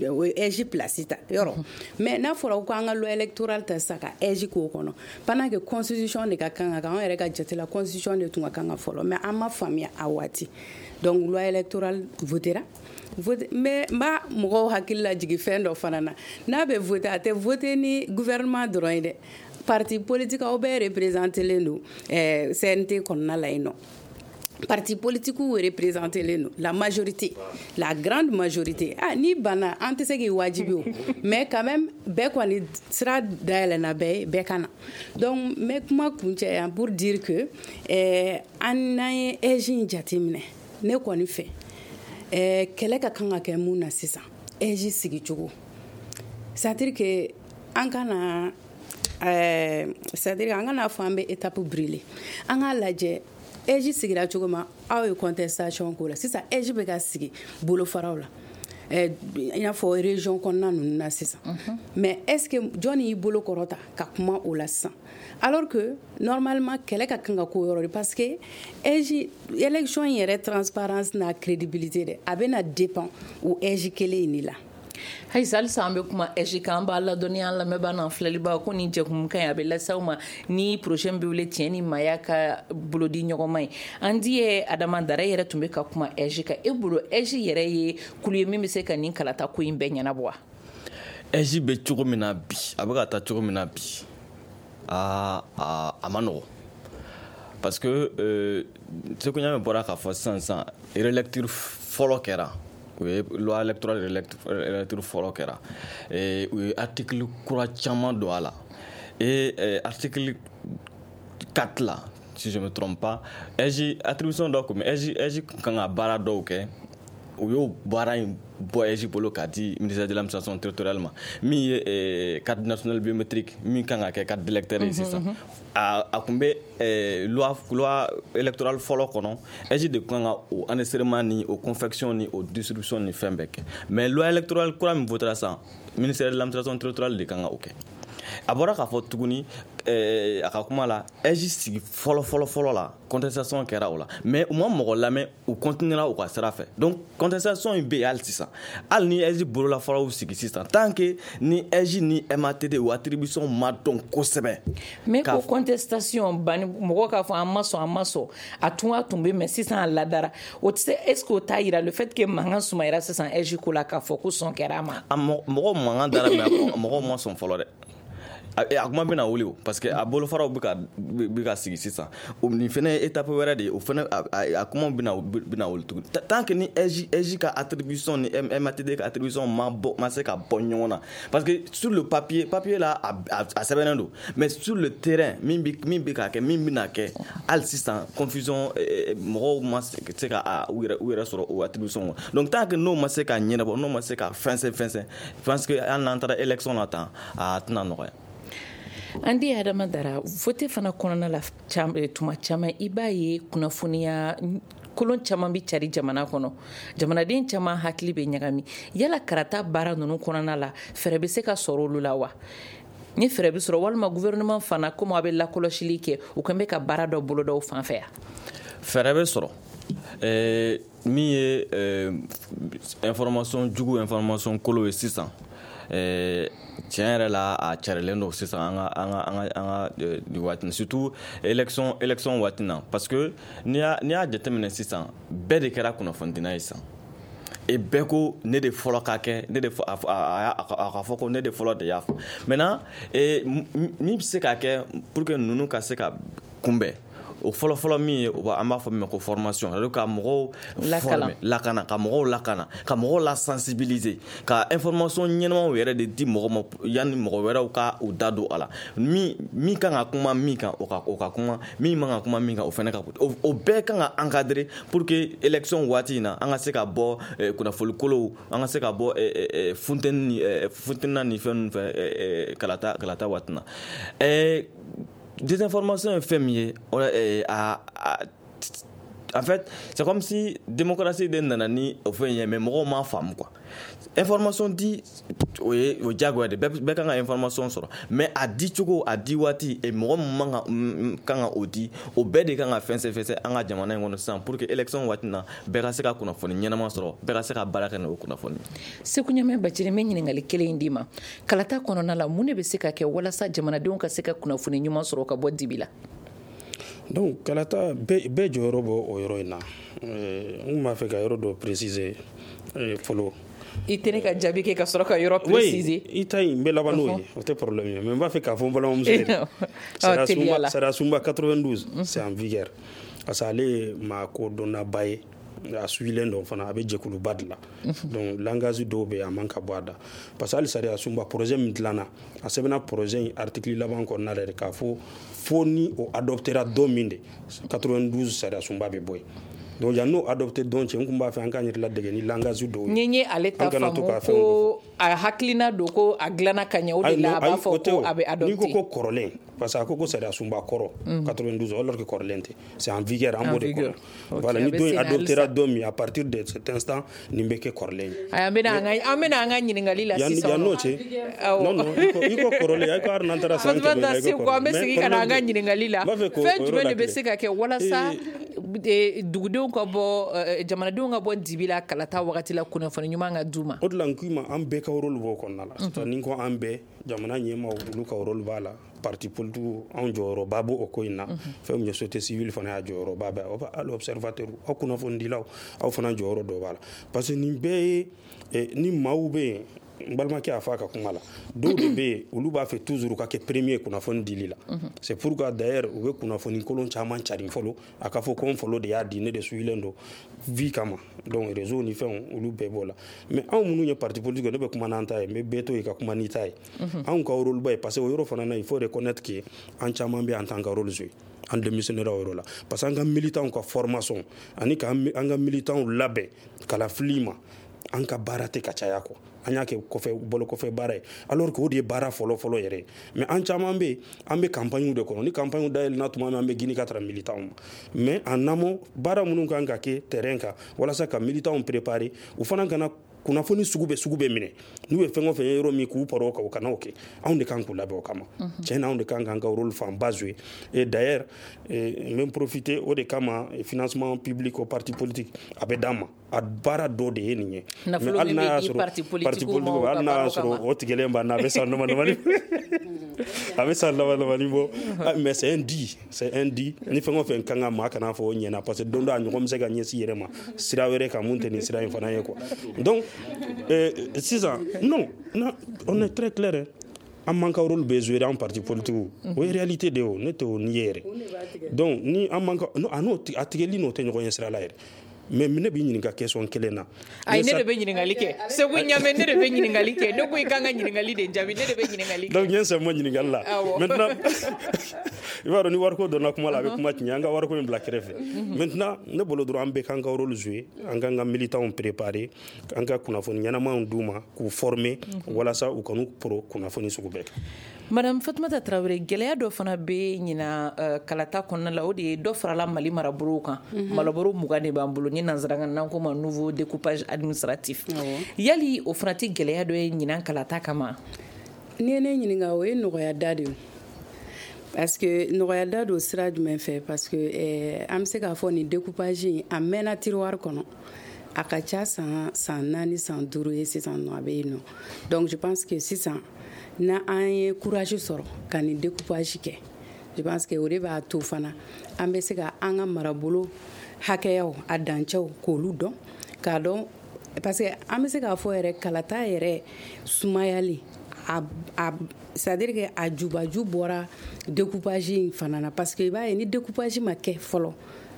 o ye A I S place ta yɔrɔ. Mais n'a fɔra ko an ka loi électorale ta sisan ka A I S k'o kɔnɔ, pendant que constitution de ka kan ka kɛ, anw yɛrɛ ka jate la constitution de tun ka kan ka fɔlɔ, mais an ma faamuya a waati. Donc loi électorale votera. Mais n b'a mɔgɔw hakili lajigin fɛn dɔ fana na, n'a bɛ voter, a tɛ voter ni gouvernement dɔrɔn ye dɛ, parti politique aw bɛɛ représentélen don C N T kɔnɔna la yen nɔ. Parti politique représenté len la majorité, la grande majorité. Ah, ni bana an tɛ se k'i wajibi o, mais quand même bɛɛ kɔni sira dayɛlɛnna bɛɛ ye, bɛɛ ka na. Donc n bɛ kuma kuncɛ yan pour dire que eh, an n'an ye A I J in jateminɛ, ne kɔni fɛ eh, kɛlɛ ka kan ka kɛ mun na sisan, A I J sigicogo, c'est à dire que an kana eh, c'est à dire an kana fɔ an bɛ étape brûler. An k'a lajɛ A I J sigira cogo min, aw ye contestation k'o la. Sisan A I J bɛ ka sigi bolofaraw la, i n'a fɔ région kɔnɔna ninnu na sisan, mais est ce que jɔnni y'i bolo kɔrɔta ka kuma o la sisan, alors que normalement kɛlɛ ka kan ka k'o yɔrɔ de, parce que A I J élection in yɛrɛ transparence n'a crédibilité dɛ, a bɛna dépend o A I J kelen in de la. Hayisa, halisa an bɛ kuma A I J kan. An b'a ladɔnniya an lamɛnbaa n'an filɛlibaga ko nin jɛkumukan in a bɛ lase aw ma ni projet min bɛ wele tiɲɛ ni maaya ka bolodi ɲɔgɔnma ye. An di ye Adama Dara yɛrɛ tun bɛ ka kuma A I J kan. E bolo, A I J yɛrɛ ye kulu ye min bɛ se ka nin kalata ko in bɛɛ ɲɛnabɔ wa? A I J bɛ cogo min na bi, a bɛ ka taa cogo min na bi, aa a ma nɔgɔ, parce que euh, Seku Ɲame bɔra k'a fɔ sisan sisan, relecture fɔlɔ kɛra, u ye loi électorale relecture fɔlɔ kɛra, u ye article kura caman don a la, et article quatre la, si je me trompe pas, A I J attribution dɔ kun bɛ A I J, A I J kan ka baara dɔw kɛ, u y'o baara in bɔ A I J bolo k'a di ministère de l'administration territoriale ma, min ye carte nationale biométrique min kan ka kɛ carte d'électeur ye sisan. A a kun bɛ loi loi électorale fɔlɔ kɔnɔ, A I J de kan ka o enregistrement ni o confection ni o distribution ni fɛn bɛɛ kɛ, mais loi électorale kura min votera sisan, ministère de l'administration territoriale de kan ka o kɛ. A bɔra k'a fɔ tuguni a ka kuma la, A I J sigi fɔlɔ fɔlɔ fɔlɔ la, contestation kɛra o la, mais u ma mɔgɔ lamɛn, u continuera u ka sira fɛ. Donc contestation in bɛ yen hali sisan, hali ni A I J bololafaraw sigi sisan, tant que ni A I J ni M A T D o attribution ma dɔn kosɛbɛ. Mais ko contestation bani, mɔgɔ k'a fɔ an ma sɔn, an ma sɔn, a tun a tun bɛ, mais sisan a ladara, o tɛ se. Est ce que o t'a yira le fait que mankan sumayara sisan A I J ko la, k'a fɔ ko sɔn kɛra a ma? A mɔgɔw mankan dara, mais mɔgɔw ma sɔn fɔlɔ dɛ. A kuma bɛna wuli o, parce que a bolofaraw bɛ ka bɛ ka sigi sisan, nin fɛnɛ ye étape wɛrɛ de ye, o fɛnɛ a kuma bɛna bɛna wuli tuguni. Tant que ni A I J A I J ka attribution ni M A T D ka attribution ma bɔ, ma se ka bɔ ɲɔgɔn na, parce que sur le papier papier la a a sɛbɛnnen don, mais sur le terrain, min bɛ min bɛ ka kɛ, min bɛna kɛ, hali sisan confusion, mɔgɔw ma se ka u yɛrɛ u yɛrɛ sɔrɔ o attribution kɔnɔ. Donc tant que n'o ma se ka ɲɛnabɔ, n'o ma se ka fɛnsɛn fɛnsɛn, je pense que hali n'an taara élection na tan, a tɛna nɔgɔya. An di Adama Dara, vote fana kɔnɔna la, tuma caman i b'a ye kunnafoniya kolon caman bɛ cari jamana kɔnɔ, jamanaden caman hakili bɛ ɲagami. Yala karata baara ninnu kɔnɔna la, fɛɛrɛ bɛ se ka sɔrɔ olu la wa? Ni fɛɛrɛ bɛ sɔrɔ, walima gouvernement fana, komi a bɛ lakɔlɔsili kɛ, u kan bɛ ka baara dɔ boloda o fan fɛ yan? Fɛɛrɛ bɛ sɔrɔ. Min ye information jugu, information kolo ye sisan, tiɲɛ yɛrɛ la, a carilen don sisan an ka an ka an ka an ka nin waati, surtout élection élection waati na, parce que n'i y'a n'i y'a jateminɛ sisan, bɛɛ de kɛra kunnafonidila ye sisan, et bɛɛ ko ne de fɔlɔ ka kɛ, ne de a a ka fɔ ko ne de fɔlɔ de y'a fɔ. Maintenant, min bɛ se ka kɛ pour que ninnu ka se ka kunbɛn, o fɔlɔ fɔlɔ min ye, an b'a fɔ min ma ko formation, c'est à dire ka mɔgɔw former, lakana, ka mɔgɔw lakana, ka mɔgɔw la sensibiliser, ka information ɲɛnamaw yɛrɛ de di mɔgɔ ma yanni mɔgɔ wɛrɛw ka u da don a la. Min min kan ka kuma min kan, o ka o ka kuma, min man ka kuma min kan, o fana ka, o bɛɛ kan ka encadrer pour que élection waati in na, an ka se ka bɔ kunnafoni kolow, an ka se ka bɔ funteni ni funteni ni fɛn ninnu fɛ kalata kalata waati na. Désinformation ye fɛn min ye, a en fait, c'est comme si démocratie de nana ni o fɛn ye, mais mɔgɔw m'a faamu quoi. Information di, o ye o diyagoya de, bɛɛ bɛɛ kan ka information sɔrɔ, mais a di cogo, a di waati, et mɔgɔ min man ka kan ka o di, o bɛɛ de kan ka fɛnsɛn fɛnsɛn an ka jamana in kɔnɔ sisan, pour que élection waati na, bɛɛ ka se ka kunnafoni ɲɛnama sɔrɔ, bɛɛ ka se ka baara kɛ n'o kunnafoni. Seku Ɲame Bacili, n bɛ ɲininkali kelen in d'i ma. Kalata kɔnɔna la, mun de bɛ se ka kɛ walasa jamanadenw ka se ka kunnafoni ɲuman sɔrɔ ka bɔ dibi la? Donc kalata, bɛɛ jɔyɔrɔ bɔ o yɔrɔ in na. N kun b'a fɛ ka yɔrɔ dɔ préciser fɔlɔ. I tɛ ne ka jaabi kɛ ka sɔrɔ ka yɔrɔ préciser. Oui, i ta in n bɛ laban n'o ye, o tɛ problème ye, mais n b'a fɛ k'a fɔ n balimamuso ye. Sariya sunba quatre-vingt-douze, c'est en vigueur. Parce que ale ye maa kodɔnnaba ye, a suivilen don fana, a bɛ jɛkuluba de la. Donc langage dɔw bɛ yen, a man ka bɔ a da, parce que hali sariya sunba projet min dilanna, a sɛbɛnna projet in article laban kɔnɔna la de k'a fɔ fo ni o adoptera don min de, quatre-vingt-douze sariya sunba bɛ bɔ yen. Donc yan n'o adopté don cɛ, n kun b'a fɛ an k'an yɛrɛ ladege ni langage dɔw ye. Ni n ye ale ta faamu ko a hakilina don ko a dilanna ka ɲɛ, o de la a b'a fɔ ko a bɛ adopté. N'i ko ko kɔrɔlen, parce que a ko ko sariya sunba kɔrɔ quatre-vingt-douze, alors que kɔrɔlen tɛ, c'est en vigueur, an b'o de kɔnɔ. Voilà, ni don in adoptera don min, à partir de cet instant nin bɛ kɛ kɔrɔlen ye. Ayi, an bɛna an ka an bɛna an ka ɲininkali la sisan. Yan n'o cɛ, non non, i ko kɔrɔlen, i ko hali n'an taara san kɛmɛ la, i ko kɔrɔlen. An bɛ segin ka na an ka ɲininkali la. Fɛn jumɛn de bɛ se ka kɛ walasa dugudenw ka bɔ, jamanadenw ka bɔ dibi la kalata wagati la, kunnafoni ɲuman ka d'u ma? O de la n k'i ma, an bɛɛ ka rôle b'o kɔnɔna la. C'est à dire ni n ko an bɛɛ, jamana ɲɛmaaw olu ka rôle b'a la, parti politique anw jɔyɔrɔba b'o ko in na, fɛn min ye société civile fana y'a jɔyɔrɔba bɛ, hali observateur aw kunnafonidilaw aw fana jɔyɔrɔ dɔ b'a la. Parce que nin bɛɛ ye ni maaw bɛ yen, n balimakɛ y'a fɔ a ka kuma la, dɔw de bɛ yen olu b'a fɛ toujours ka kɛ premier kunnafoni dili la. C'est pourquoi d'ailleurs u bɛ kunnafoni kolon caman carin fɔlɔ, a ka fɔ ko n fɔlɔ de y'a di, ne de suivilen don vie kama. Donc réseau ni fɛnw olu bɛɛ b'o la. Mais anw minnu ye parti politique, ne bɛ kuma n'an ta ye, n bɛ bɛɛ to yen ka kuma n'i ta ye. Anw ka rôle ba ye, parce que o yɔrɔ fana na, il faut reconnaître que an caman bɛ an t'an ka rôle jouer, an démissionnaire o yɔrɔ la, parce que an ka militants ka formation ani k'an ka militants labɛn kalafili ma, an ka baara tɛ ka caya quoi. An y'a kɛ kɔfɛ bolo kɔfɛ baara ye, alors que o de ye baara fɔlɔ fɔlɔ yɛrɛ ye. Mais an caman bɛ yen, an bɛ campagne de kɔnɔ, ni campagne dayɛlɛnna tuma min, an bɛ gini ka tara militants ma. Mais en amont, baara minnu kan ka kɛ terrain kan walasa ka militants préparer, u fana kana kunnafoni sugu bɛ sugu bɛ minɛ, n'u ye fɛn o fɛn ye yɔrɔ min k'u paro o kan, u kana o kɛ. Anw de kan k'u labɛn o kama. Tiɲɛ na, anw de kan k'an ka rôle fanba jouer. Et d'ailleurs n bɛ profiter o de kama, financement public au parti politique a bɛ d'an ma, a baara dɔ de ye nin ye. Nafolo min bɛ di parti politique ma, hali n'a y'a sɔrɔ o tigɛlen b'an na, a bɛ san dama damani a bɛ san dama damani bɔ, mais c'est un dit, c'est un dit. Ni fɛn o fɛn kan ka maa kana fɔ o ɲɛna, parce que don dɔ a ɲɔgɔn bɛ se ka ɲɛsin yɛrɛ ma sira wɛrɛ kan mun tɛ nin sira in fana ye quoi. Donc sisan, non, non, on est très clair, hein. An man ka rôle bɛ jouer an parti politique, o ye réalité de ye, o ne tɛ o ni ye yɛrɛ. Donc ni an man ka, a n'o a tigɛli n'o tɛ ɲɔgɔn ɲɛ sira la yɛrɛ. Mais ne b'i ɲininka question kelen na. Ayi, ne de bɛ ɲininkali kɛ. Segu Ɲame, ne de bɛ ɲininkali kɛ. Ne ko i kan ka ɲininkali de jaabi, ne de bɛ ɲininkali kɛ. Donc n ye n sen bɔ ɲininkali la. Maintenant i b'a dɔn ni wariko donna kuma la, a bɛ kuma tiɲɛ, an ka wariko in bila kɛrɛfɛ. Maintenant ne bolo dɔrɔn, an bɛɛ k'an ka rôle jouer, an k'an ka militants préparer, an ka kunnafoni ɲɛnamaw d'u ma, k'u former walasa u kan'u poro kunnafoni sugu bɛɛ kan. Madame Fatumata Traoré, gɛlɛya dɔ fana bɛ ɲina kalata kɔnɔna la, o de ye dɔ farala Mali marabolow kan. Marabolo mugan de b'an bolo, ni nanzarakan n'an ko ma nouveau découpage administratif. Yali o fana tɛ gɛlɛya dɔ ye ɲinan kalata kama? N'i ye ne ɲininka, o ye nɔgɔya da de ye. Parce que nɔgɔya da don sira jumɛn fɛ? Parce que eh, an bɛ se k'a fɔ nin découpage in a mɛnna tiroir kɔnɔ. A ka ca san san naani, san duuru ye sisan nɔ, a bɛ yen nɔ. Donc je pense que sisan na an ye courage sɔrɔ ka nin découpage kɛ, je pense que o de b'a to fana an bɛ se ka an ka marabolo hakɛyaw a dancɛw k'olu dɔn, k'a dɔn, parce que an bɛ se k'a fɔ yɛrɛ kalata yɛrɛ sumayali a a c'est à dire que a jubaju bɔra découpage in fana na, parce que i b'a ye ni découpage ma kɛ fɔlɔ,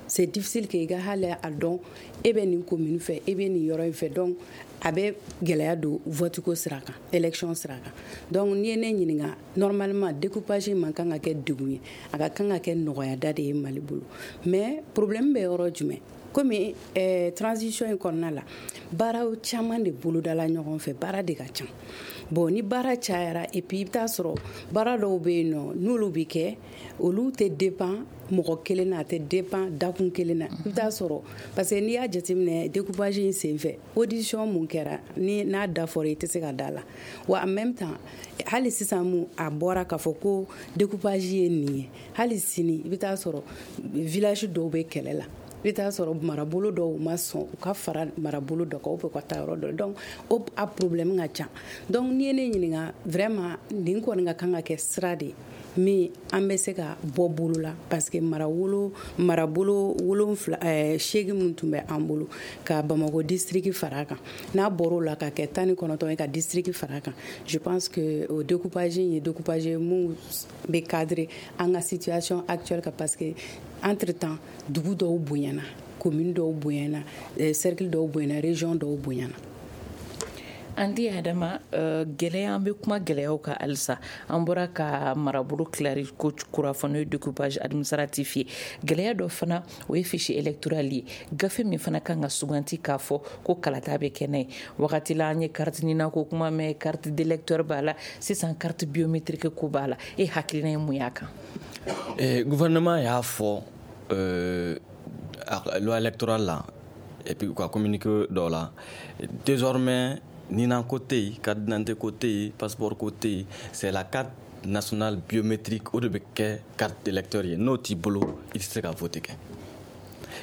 c'est difficile que i ka hali a dɔn e bɛ nin commune fɛ, e bɛ nin yɔrɔ in fɛ. Donc a bɛ gɛlɛya don vote ko sira kan, élection sira kan. Donc n'i ye ne ɲininka, normalement découpage man kan ka kɛ degun ye, a ka kan ka kɛ nɔgɔyada de ye Mali bolo. Mais problème bɛ yɔrɔ jumɛn? Komi eh, transition in kɔnɔna la, baaraw caman de bolodala ɲɔgɔn fɛ, baara de ka ca. Bon, ni baara cayara, et puis i bɛ taa sɔrɔ baara dɔw bɛ yen nɔ, n'olu bɛ kɛ, olu tɛ dépend mɔgɔ kelen na, a tɛ dépend dakun kelen na. I bɛ taa sɔrɔ, parce que n'i y'a jateminɛ découpage in senfɛ, audition mun kɛra, ni n'a da fɔra i tɛ se ka da la. Wa en même temps, hali sisan mun a bɔra k'a fɔ ko découpage ye nin ye, hali sini i bɛ taa sɔrɔ village dɔw bɛ kɛlɛ la, i bɛ taa sɔrɔ marabolo dɔw ma sɔn u ka fara marabolo dɔ kan, ou bien u ka taa yɔrɔ dɔ. Donc o a problème ka ca. Donc n'i ye ne ɲininka, vraiment nin kɔni ka kan ka kɛ sira de ye min an bɛ se ka bɔ bolo la, parce que marawolo marabolo wolonfila ɛɛ seegin min tun bɛ an bolo ka Bamakɔ district fara a kan, n'a bɔr'o la ka kɛ tan ni kɔnɔntɔn ye ka district fara a kan, je pense que o découpage in ye découpage mun bɛ cadrer an ka situation actuelle kan, parce que Entre temps, dugu dɔw bonyana, commune dɔw bonyana, cercle dɔw bonyana, région dɔw bonyana. An di Adama, gɛlɛya, an bɛ kuma gɛlɛyaw kan halisa. An bɔra ka marabolo tilari ko kura fɔ, n'o ye découpage administratif ye. Gɛlɛya dɔ fana, o ye fichier électoral ye, gafe min fana kan ka suganti k'a fɔ ko kalata bɛ kɛ n'a ye. Wagati la, an ye carte NINA ko kuma mɛn, carte d'électeur b'a la, sisan carte biométrique ko b'a la. E hakilina ye mun y'a kan? Eh, gouvernement y'a fɔ euh, loi électorale la et puis u ka communiqué dɔ la, désormais NINA ko tɛ yen, carte d'identité ko tɛ yen, passeport ko tɛ yen, c'est la carte nationale biométrique, o de bɛ kɛ carte d'électeur ye. N'o t'i bolo, i tɛ se ka voter kɛ.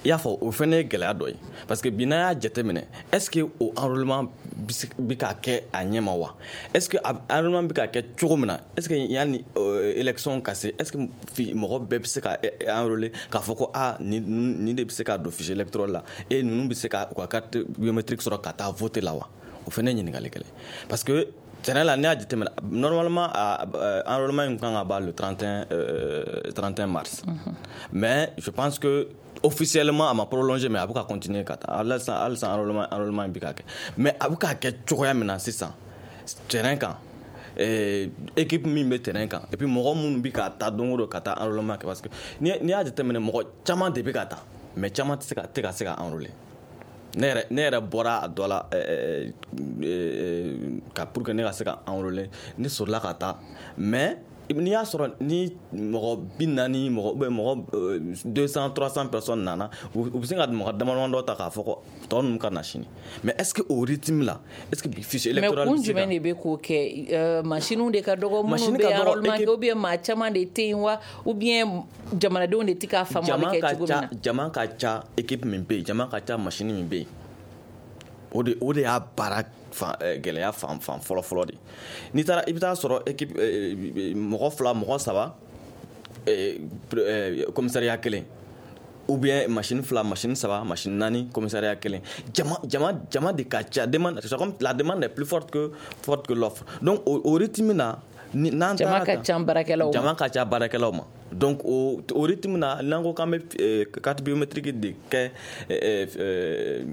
I y'a fɔ, o fɛnɛ ye gɛlɛya dɔ ye, parce que bi n'an y'a jateminɛ, est ce que o enrôlement bɛ ka kɛ a ɲɛ ma wa? Est ce que enrôlement bɛ ka kɛ cogo min na, est ce que yanni élection ka se, est ce que mɔgɔ bɛɛ bɛ se ka enrôler k'a fɔ ko aa, nin nin de bɛ se ka don fichier électoral la et ninnu bɛ se ka u ka carte biométrique sɔrɔ ka taa voter la wa? O fɛnɛ ye ɲininkali kɛlɛ, parce que terrain la, n'i y'a jateminɛ, normalement enrôlement in kan ka ban le trente et un euh, trente et un mars, mm -hmm. mais je pense que officiellement a ma prolongé, mais a bɛ ka continuer ka taa halisa halisa. enrôlement enrôlement in bɛ ka kɛ, mais a bɛ ka kɛ cogoya min na sisan terrain kan, équipe min bɛ terrain kan et puis mɔgɔ minnu bɛ ka taa don o don ka taa enrôlement kɛ, parce que n'i y'a jateminɛ, mɔgɔ caman de bɛ ka taa, mais caman tɛ se ka tɛ ka se ka enrôler. Ne yɛrɛ ne yɛrɛ bɔra a dɔ la ka pour que ne ka se ka enrôler, ne sɔrɔla ka taa, mais n'i y'a sɔrɔ ni mɔgɔ bi naani mɔgɔ ou bien mɔgɔ deux cent, trois cents personnes nana, u bɛ se ka mɔgɔ damadama dɔ ta k'a fɔ ko tɔ ninnu ka na sini. Mais est ce que au rythme là, est ce que fichier électoral mais kun jumɛn de bɛ k'o kɛ? Machines de ka dɔgɔ minnu bɛ enrôlement kɛ, ou bien maa caman de tɛ yen wa, ou bien jamanadenw de tɛ k'a faamu a bɛ kɛ cogo min na? Jama ka ca, équipe min bɛ yen, jama ka ca, machine min bɛ yen, o de o de y'a baara fan gɛlɛya fan fan fɔlɔ fɔlɔ de. N'i taara, i bɛ taa sɔrɔ équipe mɔgɔ fila, mɔgɔ saba, commissariat kelen, ou bien machine fila, machine saba, machine naani, commissariat kelen. Jama jama jama de ka ca. Demande, c'est comme la demande est plus forte que forte que l'offre. Donc o, o rythme na, n'an jama ka ca baarakɛlaw ma, jama ka ca baarakɛlaw ma. Donc o o rythme na, n'an ko k'an bɛ carte biométrique de kɛ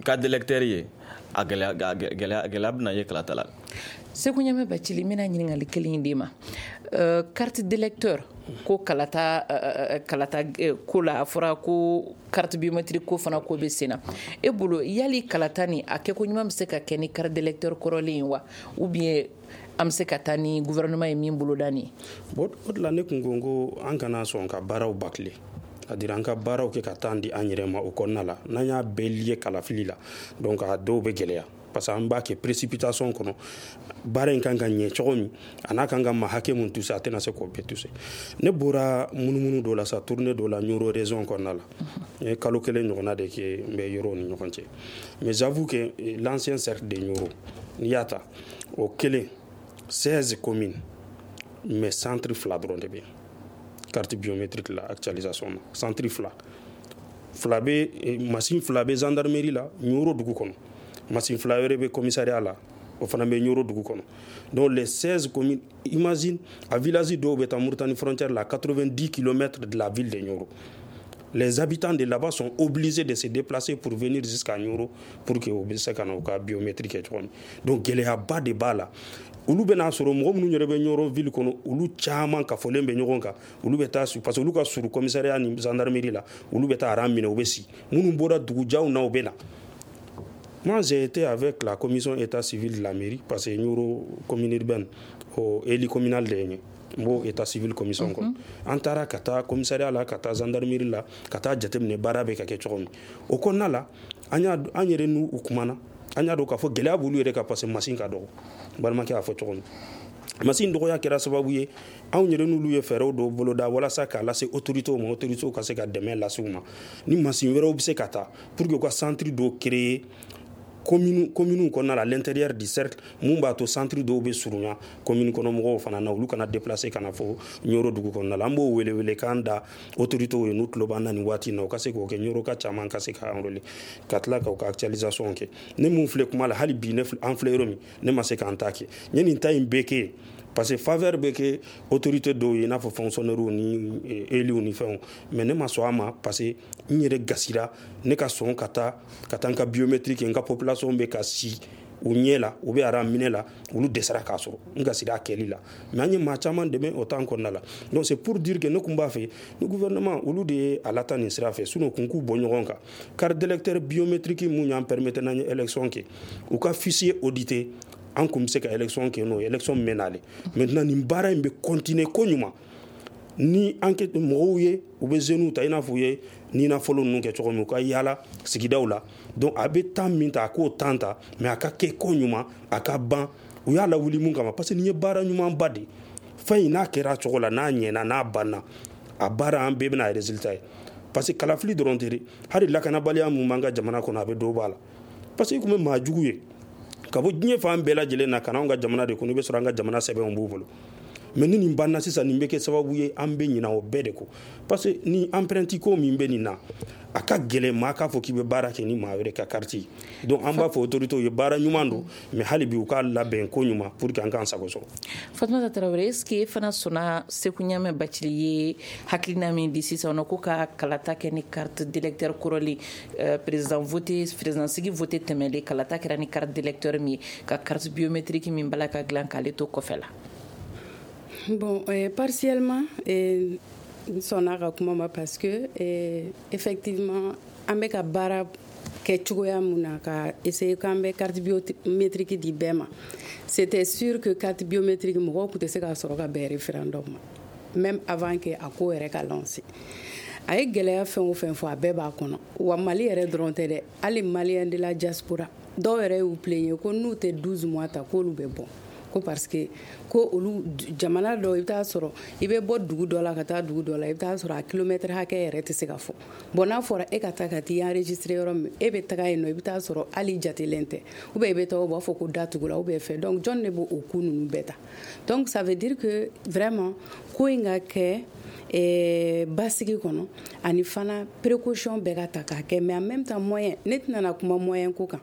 carte d'électeur ye, a gɛlɛya gɛlɛya gɛlɛya bɛna ye kalata la. Segu Ɲamɛ Bacili, n bɛna ɲininkali kelen in d'e ma. Carte d'électeur ko kalata kalata ko la, a fɔra ko carte biométrique ko fana ko bɛ sen na. E bolo, yali kalata ni a kɛko ɲuman bɛ se ka kɛ ni carte d'électeur kɔrɔlen ye wa, ou bien an bɛ se ka taa ni gouvernement ye min boloda nin ye? Bon, o de la ne kun ko n ko an kana sɔn ka baaraw bâcler, c'est-à-dire an ka baaraw kɛ ka taa di an yɛrɛ ma. O kɔnɔna la, n'an y'a bɛɛ lié kalafili la, donc a dɔw bɛ gɛlɛya, parce que an b'a kɛ précipitation kɔnɔ. Baara in kan ka ɲɛ cogo min, a n'a kan ka ma hakɛ mun toucher, a tɛna se k'o bɛɛ toucher. Ne bɔra munumunu dɔ la sa, tournée dɔ la Nioro région kɔnɔna la. N ye kalo kelen ɲɔgɔnna de kɛ n bɛ yɔrɔw ni ɲɔgɔn cɛ, mais j'avoue que l'ancien cercle de Nioro, n'i y'a ta o kelen, seize communes, mais centre fila dɔrɔn de bɛ yen carte biométrique la actualisation na. Centre fila fila bɛ, machine fila bɛ gendarmerie la Nioro dugu kɔnɔ, machine fila wɛrɛ bɛ commissariat la, o fana bɛ Nioro dugu kɔnɔ. Donc les seize communes, imagine, a village dɔw bɛ taa Mauritanie frontière la, quatre-vingt-dix kilomètres de la ville de Nioro. Les habitants de là-bas sont obligés de se déplacer pour venir jusqu'à Nioro pour que u bɛ se ka na u ka biométrique kɛ cogo min. Donc gɛlɛyaba de b'a la. Olu bɛna sɔrɔ mɔgɔ minnu yɛrɛ bɛ Nioro ville kɔnɔ, olu caman kafolen bɛ ɲɔgɔn kan. Olu bɛ taa su, parce que olu ka surun commissariat ni gendarmerie la, olu bɛ taa rang minɛ, u bɛ si. Minnu bɔra dugujanw na, u bɛ na. Moi, j'ai été avec la commission état civil de la mairie, parce que Nioro commune urbaine o élu communal de ye n ye, n b'o état civil commission kɔnɔ. An taara ka taa commissariat la, ka taa gendarmerie la, ka taa jateminɛ baara bɛ ka kɛ cogo min. O kɔnɔna la, an y'a an yɛrɛ n'u kumana, an y'a dɔn k'a fɔ gɛlɛya b'olu yɛrɛ kan, parce que machine ka dɔgɔ. N balimakɛ y'a fɔ cogo min, machine dɔgɔya kɛra sababu ye anw yɛrɛ n'olu ye fɛɛrɛw dɔw boloda walasa k'a lase autorités ma, autorités ka se ka dɛmɛ lase u ma ni machine wɛrɛw bɛ se ka taa, pour que u ka centre dɔw créer commune commune kɔnɔna la, à l'intérieur du cercle, mun b'a to centre dɔw bɛ surunya commune kɔnɔ mɔgɔw fana na, olu kana déplacer ka na fɔ Nioro dugu kɔnɔna la. An b'o wele wele k'an da autorités ye, n'u tulo b'an na nin waati in na, u ka se k'o kɛ, Nioro ka caman ka se ka enrôler, ka tila k'u ka actualisation kɛ. Ne mun filɛ kuma la hali bi, ne an filɛ yɔrɔ min, ne ma se k'an ta kɛ. N ye nin ta in bɛɛ kɛ. Parce que faveur bɛ kɛ autorité dɔw ye, i n'a fɔ fonctionnaires ni élus ni fɛnw, mais ne ma sɔn a ma parce que n yɛrɛ gasira ne ka sɔn ka taa ka taa n ka biométrique, n ka population bɛ ka si u ɲɛ la, u bɛ ara minɛ la, olu dɛsɛra k'a sɔrɔ, n gasira a kɛli la. Mais an ye maa caman dɛmɛ o temps kɔnɔna la. Donc c'est pour dire que ne kun b'a fɛ ni gouvernement olu de ye a lata nin sira fɛ, sinon kun k'u bɔ ɲɔgɔn kan. Carte d'électeur biométrique mun y'an permettre n'an ye élection kɛ, u ka fichier audité, an kun bɛ se ka élection kɛ n'o ye, élection mɛnna. Maintenant nin baara in bɛ continuer ko ɲuman ni enquête mɔgɔw ye, u bɛ jeunes ta i n'a fɔ u ye nina fɔlɔ ninnu kɛ cogo min, u ka yaala sigidaw la. Donc a bɛ temps min ta, a k'o temps ta, mais a ka kɛ ko ɲuman, a ka ban u y'a lawuli mun kama, parce que nin ye baara ɲumanba de ye. Fɛn in n'a kɛra cogo la, n'a ɲɛna, n'a banna, a baara an bɛɛ bɛna résultat ye. Parce que kalafili dɔrɔn tɛ dɛ, hali lakanabaliya mun b'an ka jamana kɔnɔ, a bɛ dɔ b'a la. Parce que i kun bɛ maa jugu ye ka bɔ diɲɛ fan bɛɛ lajɛlen na ka na anw ka jamana de kɔnɔ, i bɛ sɔrɔ an ka jamana sɛbɛnw b'u bolo. Mais ni nin banna sisan, nin bɛ kɛ sababu ye an bɛ ɲinɛ o bɛɛ de kɔ. Parce que ni empreinte ko min bɛ nin na, a ka gɛlɛn maa k'a fɔ k'i bɛ baara kɛ ni maa wɛrɛ ka carte ye. Donc an b'a fɔ autorités ye, baara ɲuman don, mais hali bi u k'a labɛn ko ɲuman pour que an k'an sago sɔrɔ. Fatumata Tarawele, est ce que e fana sɔnna Seku Ɲamɛ Bacili ye hakilina min di sisan nɔ, ko ka kalata kɛ ni carte d'électeur kɔrɔlen, président voté, président sigi voté tɛmɛlen, kalata kɛra ni carte d'électeur min ye, ka carte biométrique min bala ka dilan k'ale to kɔfɛ la? Bon, euh, partiellement, euh, n sɔnna ka kuma ma parce que euh, effectivement an bɛ ka baara kɛ cogoya mun na ka essayer k'an bɛ carte biométrique di bɛɛ ma, c'était sûr que carte biométrique mɔgɔw tun tɛ se k'a sɔrɔ ka bɛn référendum ma, même avant que a ko yɛrɛ ka lancer. A ye gɛlɛya fɛn o fɛn fɔ, a bɛɛ b'a kɔnɔ. Wa Mali yɛrɛ dɔrɔn tɛ dɛ, hali Malien de la diaspora dɔw yɛrɛ y'u plaigner ko n'u tɛ douze mois ta, k'olu bɛ bɔ, ko parce que ko olu jamana dɔw, i bɛ taa sɔrɔ i bɛ bɔ dugu dɔ la ka taa dugu dɔ la, i bɛ taa sɔrɔ a kilomètre hakɛ yɛrɛ tɛ se ka fɔ. Bon, n'a fɔra e ka taa ka t'i enregistrer yɔrɔ min, e bɛ taga yen nɔ, i bɛ taa sɔrɔ hali jatelen tɛ, ou bien i bɛ taa u b'a fɔ ko datugula ou bien fɛn. Donc jɔn de b'o ko ninnu bɛɛ ta? Donc ça veut dire que vraiment ko in ka kɛ eh, basigi kɔnɔ, ani fana précaution bɛɛ ka ta k'a kɛ. Mais en même temps moyen, ne tɛna na kuma moyen ko kan,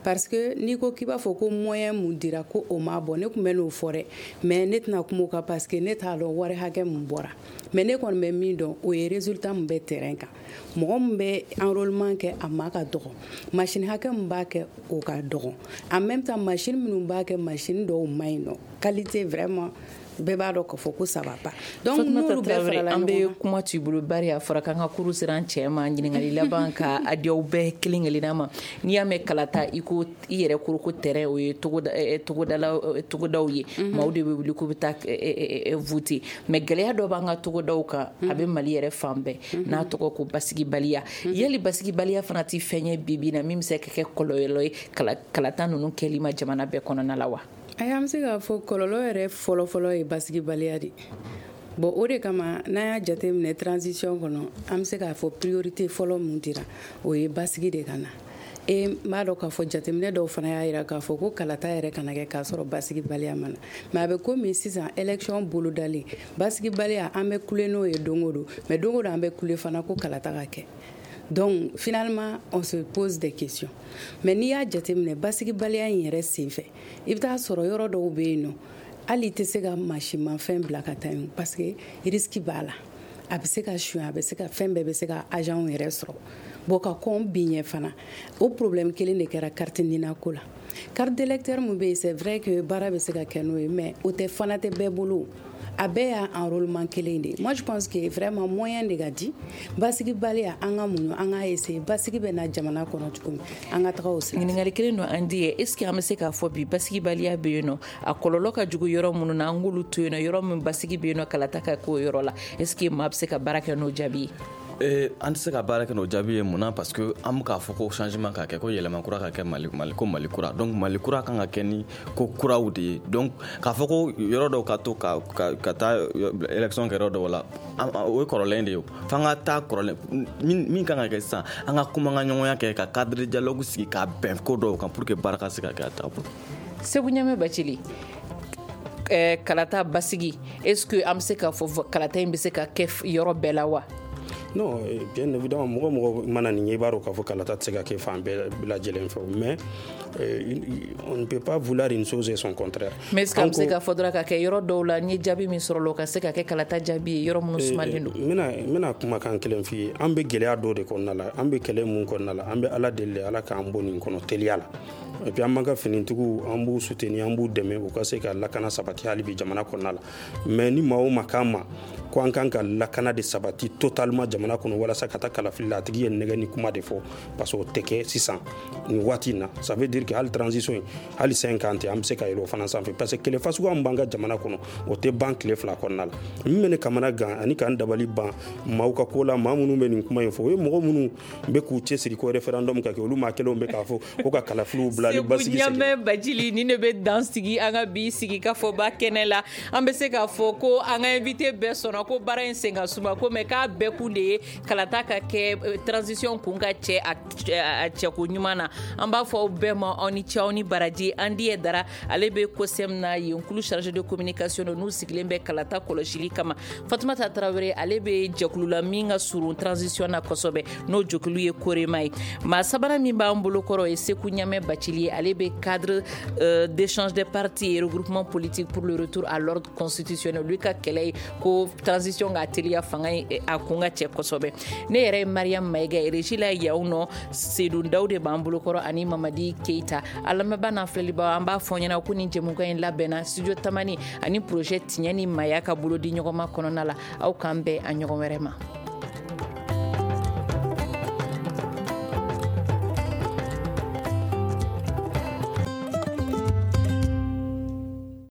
parce que n'i ko k'i b'a fɔ ko moyen mun dira ko o ma bɔ, ne tun bɛ n'o fɔ dɛ, mais ne tɛna kuma o kan parce que ne t'a dɔn wari hakɛ mun bɔra. Mais ne kɔni bɛ min dɔn, o ye résultat mun bɛ terrain kan, mɔgɔ min bɛ enrôlement kɛ a ma ka dɔgɔ, machine hakɛ mun b'a kɛ o ka dɔgɔ. En même temps machine minnu b'a kɛ, machine dɔw ma ɲi nɔ, qualité vraiment bɛɛ b'a dɔn k'a fɔ ko ça va pas. Donc n'olu bɛɛ farala an ɲɔgɔn bɛ kan, kuma t'i bolo, bari a fɔra k'an ka kuru sera an cɛ ma. Ɲininkali laban ka a di aw bɛɛ kelen kelenna ma. N'i y'a mɛn kalata, i ko i yɛrɛ ko ko terrain, o ye togoda togodala togodaw ye, maaw de bɛ wuli k'u bɛ taa voter. Mais gɛlɛya dɔ b'an ka togodaw kan, a bɛ Mali yɛrɛ fan bɛɛ, n'a tɔgɔ ko basigibaliya. Yali basigibaliya fana tɛ fɛn ye bi bi in na min bɛ se ka kɛ kɔlɔlɔ ye kalata ninnu kɛli ma jamana bɛɛ kɔnɔna la wa? Ayi, an bɛ se k'a fɔ kɔlɔlɔ yɛrɛ fɔlɔfɔlɔ ye basigibaliya de. Bon, o de kama n'an y'a jateminɛ transition kɔnɔ, an bɛ se k'a fɔ priorité fɔlɔ mun dira, o ye basigi de ka na. E n b'a dɔn k'a fɔ jateminɛ dɔw fana y'a jira k'a fɔ ko kalata yɛrɛ kana kɛ k'a sɔrɔ basigibaliya ma na. Mais a bɛ komi sisan élection bolodalen, basigibaliya an bɛ kule n'o ye don o don, mais don o don an bɛ kule fana ko kalata ka kɛ. Donc finalement on se pose des questions. Mais n'i y'a jateminɛ basigibaliya in yɛrɛ senfɛ, i bɛ taa sɔrɔ yɔrɔ dɔw bɛ yen nɔ, hali i tɛ se ka mansinmafɛn bila ka taa yen parce que risque b'a la, a bɛ se ka suɲɛ, a bɛ se ka fɛn bɛɛ bɛ se ka agent yɛrɛ sɔrɔ. Bon, ka kɔn bin ɲɛ fana, o problème kelen de kɛra carte NINA ko la. Carte d'électeur mun bɛ yen, c'est vrai que baara bɛ se ka kɛ n'o ye, mais o tɛ fana tɛ bɛɛ bolo, a bɛɛ y'a enrôlement kelen de ye. Moi je pense que vraiment moyen de ka di basigibaliya, an ka muɲu, an k'a essayer basigi bɛ na jamana kɔnɔ cogo min, an ka taga o sira fɛ. Ɲininkali kelen don an di ye, est ce que an bɛ se k'a fɔ bi basigibaliya bɛ yen nɔ, a kɔlɔlɔ ka jugu yɔrɔ minnu na, an k'olu to yen nɔ, yɔrɔ min basigi bɛ yen nɔ, kalata ka k'o yɔrɔ la, est ce que maa bɛ se ka baara kɛ n'o jaabi ye? Eh, an tɛ se ka baara kɛ n'o jaabi ye. Mun na? Parce que an bɛ k'a fɔ ko changement ka kɛ, ko yɛlɛma kura ka kɛ Mali, Mali ko Mali kura. Donc Mali kura kan ka kɛ ni ko kuraw de ye. Donc k'a fɔ ko yɔrɔ dɔw ka to ka ka, ka taa élection kɛ yɔrɔ dɔw la, o ye kɔrɔlen de ye. F'an ka taa kɔrɔlen min min kan ka kɛ sisan, an ka kuma ka ɲɔgɔnya kɛ, ka cadre de dialogue sigi, ka bɛn ko dɔw kan pour que baara ka se ka kɛ a taabolo. Seku Ɲamɛ Bacili, eh, kalata basigi, est ce que an bɛ se k'a fɔ kalata in bɛ se ka kɛ yɔrɔ bɛɛ la wa? Non, bien évidemment, mɔgɔ mɔgɔ mana nin ye, i b'a dɔn k'a fɔ kalata tɛ se ka kɛ fan bɛɛ lajɛlen fɛ. Mais On ne peut pas vouloir une chose et son contraire. Mais est-ce que an bɛ se k'a fɔ dɔrɔn ka kɛ yɔrɔ dɔw la, n ye jaabi min sɔrɔ la, o ka se ka kɛ kalata jaabi ye yɔrɔ minnu sumalen don? N bɛna n bɛna kumakan kelen f'i ye. An bɛ gɛlɛya dɔw de kɔnɔna la, an bɛ kɛlɛ mun kɔnɔna la, an bɛ Ala deli, Ala k'an bɔ nin kɔnɔ teliya la. Et puis an b'an ka finitigiw, an b'u soutenir, an b'u dɛmɛ u ka se ka lakana sabati hali bi jamana kɔnɔna la. Mais ni maa o maa k'an ma ko an kan ka lakana de sabati totalement jamana kɔnɔ walasa ka taa kalafili la, a tigi ye nɛgɛ ni kuma de fɔ, parce que o tɛ kɛ sisan nin waati in na. Ça veut dire que hali transition in, hali cinq ans tɛ, an bɛ se ka yɛlɛ o fana sanfɛ, parce que kɛlɛ fasuguya min b'an ka jamana kɔnɔ, o tɛ ban tile fila kɔnɔna la. Min bɛ ne kamana gan ani k'an dabali ban maaw ka ko la, maa minnu bɛ nin kuma in fɔ, o ye mɔgɔ minnu bɛ k'u cɛsiri ko référendum ka kɛ, olu maa kelenw bɛ k'a fɔ ko ka kalafiliw bila ni basigi segin. Segu Ɲamɛ Bacili, nin de bɛ dan sigi an ka bi sigi ka fɔba kɛnɛ la. An bɛ se k'a fɔ ko an ka invité bɛɛ sɔnna ko baara in sen ka suma ko, mais k'a bɛɛ kun de ye kalata ka kɛ, transition kun ka cɛ a cɛko ɲuman na. An b'a fɔ aw bɛɛ ma, aw ni ce, aw ni baraji. An di dara, ale bɛ COSEM na yen, kulu chargé de communication n'u sigilen bɛ kalata kɔlɔsili kama. Fatumata Tarawele, ale bɛ jɛkulu la min ka surun transition na kosɛbɛ, n'o jɛkulu ye Korema ye. Maa sabanan min b'an bolo kɔrɔ ye Seku Ɲamɛ Bacili ye, ale bɛ cadre euh, d'échange des partis et regroupement politique pour le retour à l'ordre constitutionnel. Olu ka kɛlɛ ye ko transition ka teliya, fanga ye a kun ka cɛ kosɛbɛ. Ne yɛrɛ ye Mariam Mayiga ye, régie la yaw nɔ Sedon Daw de b'an bolo kɔrɔ ani Mamadi Keita. A lamɛnbaa n'an filɛlibaw, an b'a fɔ ɲɛna ko nin jɛmukan in labɛnna studio Tamani ani projet Tiɲɛ ni Maya ka bolo di ɲɔgɔn ma kɔnɔna la. Aw k'an bɛn a ɲɔgɔn wɛrɛ ma.